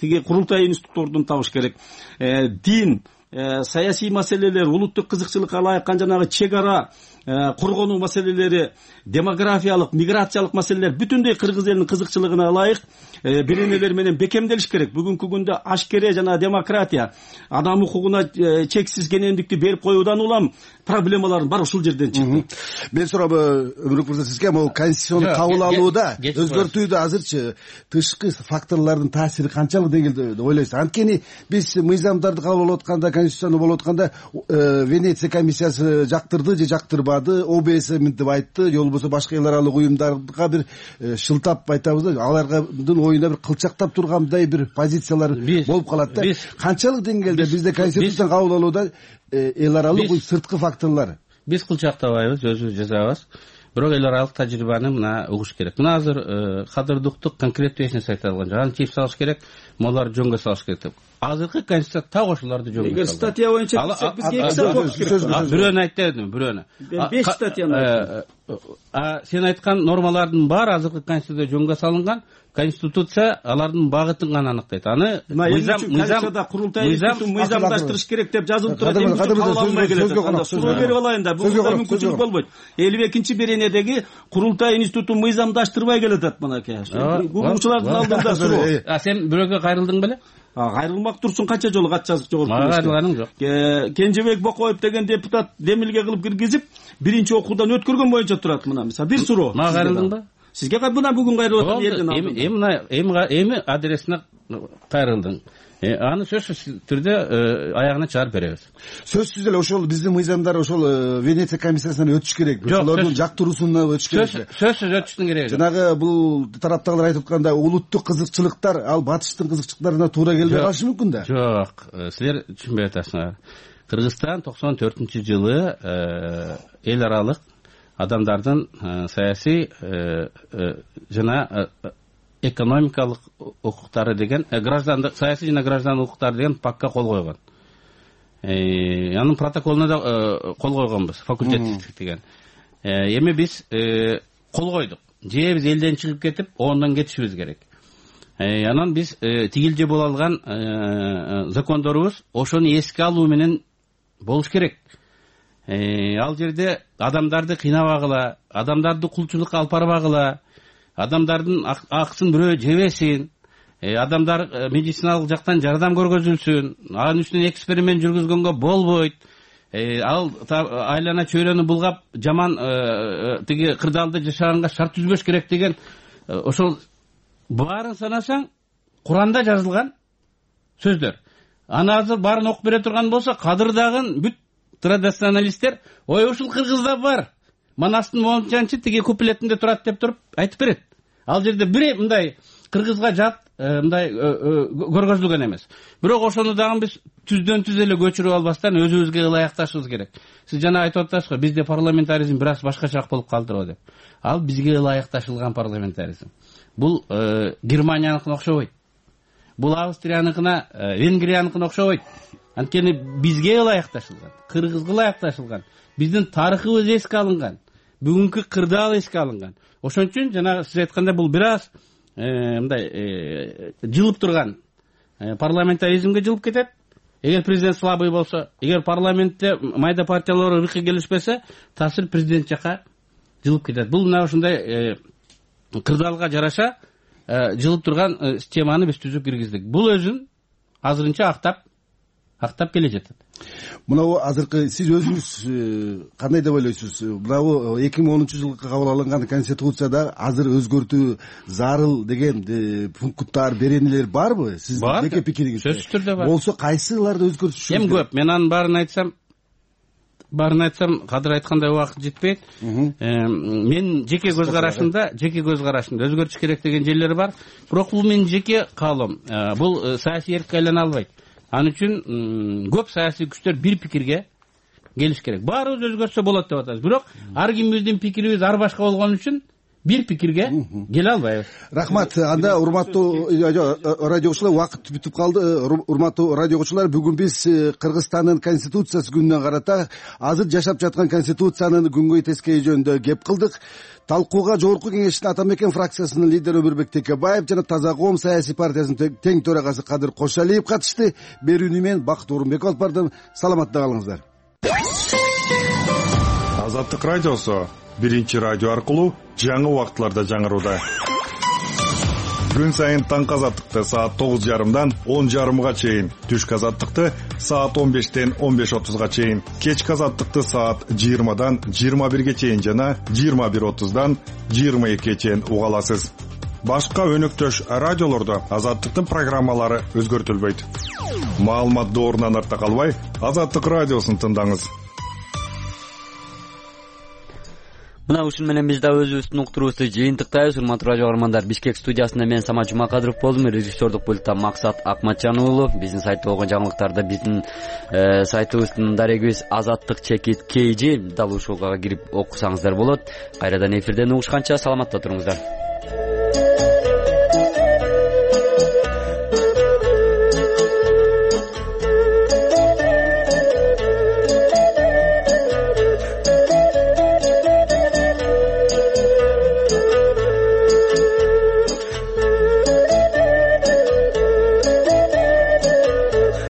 тиги курултай институту ордун табыш керек. Дин, саясий маселелер, улуттук кызыкчылыкка ылайыккан жанагы чек ара коргонуу маселелери, демографиялык, миграциялык маселелер бүтүндөй кыргыз элинин кызыкчылыгына ылайык беренелер менен бекемделиш керек. Бүгүнкү күндө ашкере жана демократия, адам укугуна чексиз кенендикти берип коюудан улам проблемалардын баары ушул жерден чыкты. Мен сурап Өмүрбек мырза сизге, могу конституцияны кабыл алууда, өзгөртүүдө азырчы тышкы факторлордун таасири канчалык деңгээлде деп ойлойсуз? Анткени биз мыйзамдарды кабыл алып атканда, конституцияны болуп атканда Венеция комиссиясы жактырды же жактырбады, ОБС мынтип айтты, же болбосо башка эл аралык уюмдарга бир шылтап айтабыз да, алардын оюна бир кылчактап тургандай бир позициялар болуп калат да. Канчалык деңгээлде бизде конституцияны кабыл алууда эл аралык сырткы факторлор? Биз кылчактабайбыз, өзүбүз жазабыз. Бирок эл аралык тажрыйбаны мына угуш керек. Мына азыр кадырдыктык конкреттүү эч нерсе айта алган жок. Аны чийип салыш керек, моларды жөнгө салыш керек деп. Азыркы конституция так ошолорду жөнгө салган. Эгер статья боюнча бизге 2 саат болуш керек. Бирөөнү айтып бердим, бирөөнү. 5 статьяны. Сен айткан нормалардын баары азыркы конституцияда жөнгө салынган. Конституция алардын багытын гана аныктайт. Аны мыйзамдаштырыш керек деп жазылып турат. Эмне үчүн кабыл алынбай келет? Суроо берип алайын да. Бул мүмкүнчүлүк болбойт. 52-беренедеги курултай институтун мыйзамдаштырбай келатат мынакей. Угуучулардын алдында суроо. Сен бирөөгө кайрылдың беле? Кайрылмак турсун, канча жолу кат жазып жогорку. Мага кайрылганың жок. Кенжебек Бокоев деген депутат демилге кылып киргизип, биринчи окуудан өткөргөн боюнча турат. Мына мисалы бир суроо. Мага кайрылдың ба? Сизге мына бүгүн кайрылып атам жерден алдым. Эми адресине кайрылдың. Аны сөзсүз түрдө аягына чыгарып беребиз. Сөзсүз эле ошол биздин мыйзамдар ошол Венеция комиссиясынан өтүш керек. Ошолордун жактыруусуна өтүш керек. Сөзсүз өтүштүн кереги жок. Жанагы бул тараптагылар айтып атканда улуттук кызыкчылыктар ал батыштын кызыкчылыктарына туура келбей калышы мүмкүн да. Жок, силер түшүнбөй атасыңар. Кыргызстан 94-жылы эл аралык адамдардын саясий жана экономикалык укуктары деген граждандык, саясий жана граждандык укуктары деген пакка кол койгон. Анын протоколуна да кол койгонбуз, факультативдик деген. Эми биз кол койдук. Же биз элден чыгып кетип, ондон кетишибиз керек. Анан биз тигилже боло алган закондорубуз ошону эске алуу менен болуш керек. Ал жерде адамдарды кыйнабагыла, адамдарды кулчулукка алып барбагыла, адамдардын акысын бирөө жебесин, адамдар медициналык жактан жардам көргөзүлсүн, анын үстүнө эксперимент жүргүзгөнгө болбойт. Ал айлана чөйрөнү булгап жаман тиги кырдаалда жашаганга шарт түзбөш керек деген ошол баарын санасаң Куранда жазылган сөздөр. Аны азыр баарын окуп бере турган болсо, кадырдагын бүт традиционалисттер ой ушул кыргызда бар. Манастын моңчанчы тиги куплетинде турат деп туруп айтып берет. Ал жерде бир мындай кыргызга жат мындай көргөзүлгөн эмес. Бирок ошону дагы биз түздөн түз эле көчүрүп албастан өзүбүзгө ылайыкташыбыз керек. Сиз жана айтып атасыз го, бизде парламентаризм бир аз башкачаак болуп калдырбы деп. Ал бизге ылайыкташылган парламентаризм. Бул Германияныкына окшобойт. Бул Австрияныкына, Венгрияныкына окшобойт. Анткени бизге ылайыкташылган, кыргызга ылайыкташылган, биздин тарыхыбыз эске алынган, бүгүнкү кырдаал эске алынган. Ошон үчүн жана сиз айткандай бул бир аз мындай жылып турган парламентаризмге жылып кетет. Эгер президент слабый болсо, эгер парламентте майда партиялар ыркы келишпесе, таасир президент жака жылып кетет. Бул мына ушундай кырдаалга жараша жылып турган системаны биз түзүп киргиздик. Бул өзүн азырынча актап келе жатат. Мынау азыркы сиз өзүңүз кандай деп ойлойсуз? Мынау 2010-жылы кабыл алынган конституцияда азыр өзгөртүү зарыл деген пункттар, беренелер барбы? Сиз жеке пикириңиз? Сөзсүз түрдө бар. Болсо кайсыларды өзгөртүш? Эм көп. Мен анын баарын айтсам, кадыр айткандай убакыт жетпейт. Мен жеке көз карашымда өзгөртүш керек деген жерлери бар. Бирок бул менин жеке каалоом. Бул саясий эркке айлана албайт. Анын үчүн көп саясий күчтөр бир пикирге келиш керек. Баарыбыз өзгөртсө болот деп атабыз. Бирок ар кимибиздин пикирибиз ар башка болгон үчүн бир пикирге келе албайбыз. Рахмат. Анда урматтуу радио окуучулар, убакыт бүтүп калды. Урматтуу радио окуучулар, бүгүн биз Кыргызстандын конституциясы күнүнө карата азыр жашап жаткан конституциянын күнгөй тескейи жөнүндө кеп кылдык. Талкууга Жогорку Кеңештин Ата Мекен фракциясынын лидери Өмүрбек Текебаев жана Таза коом саясий партиясынын тең төрагасы Кадыр Кошалиев катышты. Берүүнү мен Бакыт Орунбеков алып бардым. Саламатта калыңыздар. Азаттык радиосу биринчи радио аркылуу жаңы убактыларда жаңырууда. Күн сайын таңкы азаттыкты саат 9:30 10:30 чейин, түшкү азаттыкты саат 15-тен 15:30 чейин, кечки азаттыкты саат 20-дан 21 чейин жана 21:30-дан 22 чейин уга аласыз. Башка өнөктөш радиолордо азаттыктын программалары өзгөртүлбөйт. Маалымат доорунан арта калбай, Азаттык радиосун тыңдаңыз. Мына ушун менен биз да өзүбүздүн уктуруубузду жыйынтыктайбыз. Урматтуу радио каармандар, Бишкек студиясында мен Самат Жумакадыров болдум, режиссердук пультта Максат Акматжан уулу. Биздин сайтта болгон жаңылыктарды биздин сайтыбыздын дарегибиз azattik.kg дал ушуга кирип окусаңыздар болот. Кайрадан эфирден угушканча саламатта туруңуздар.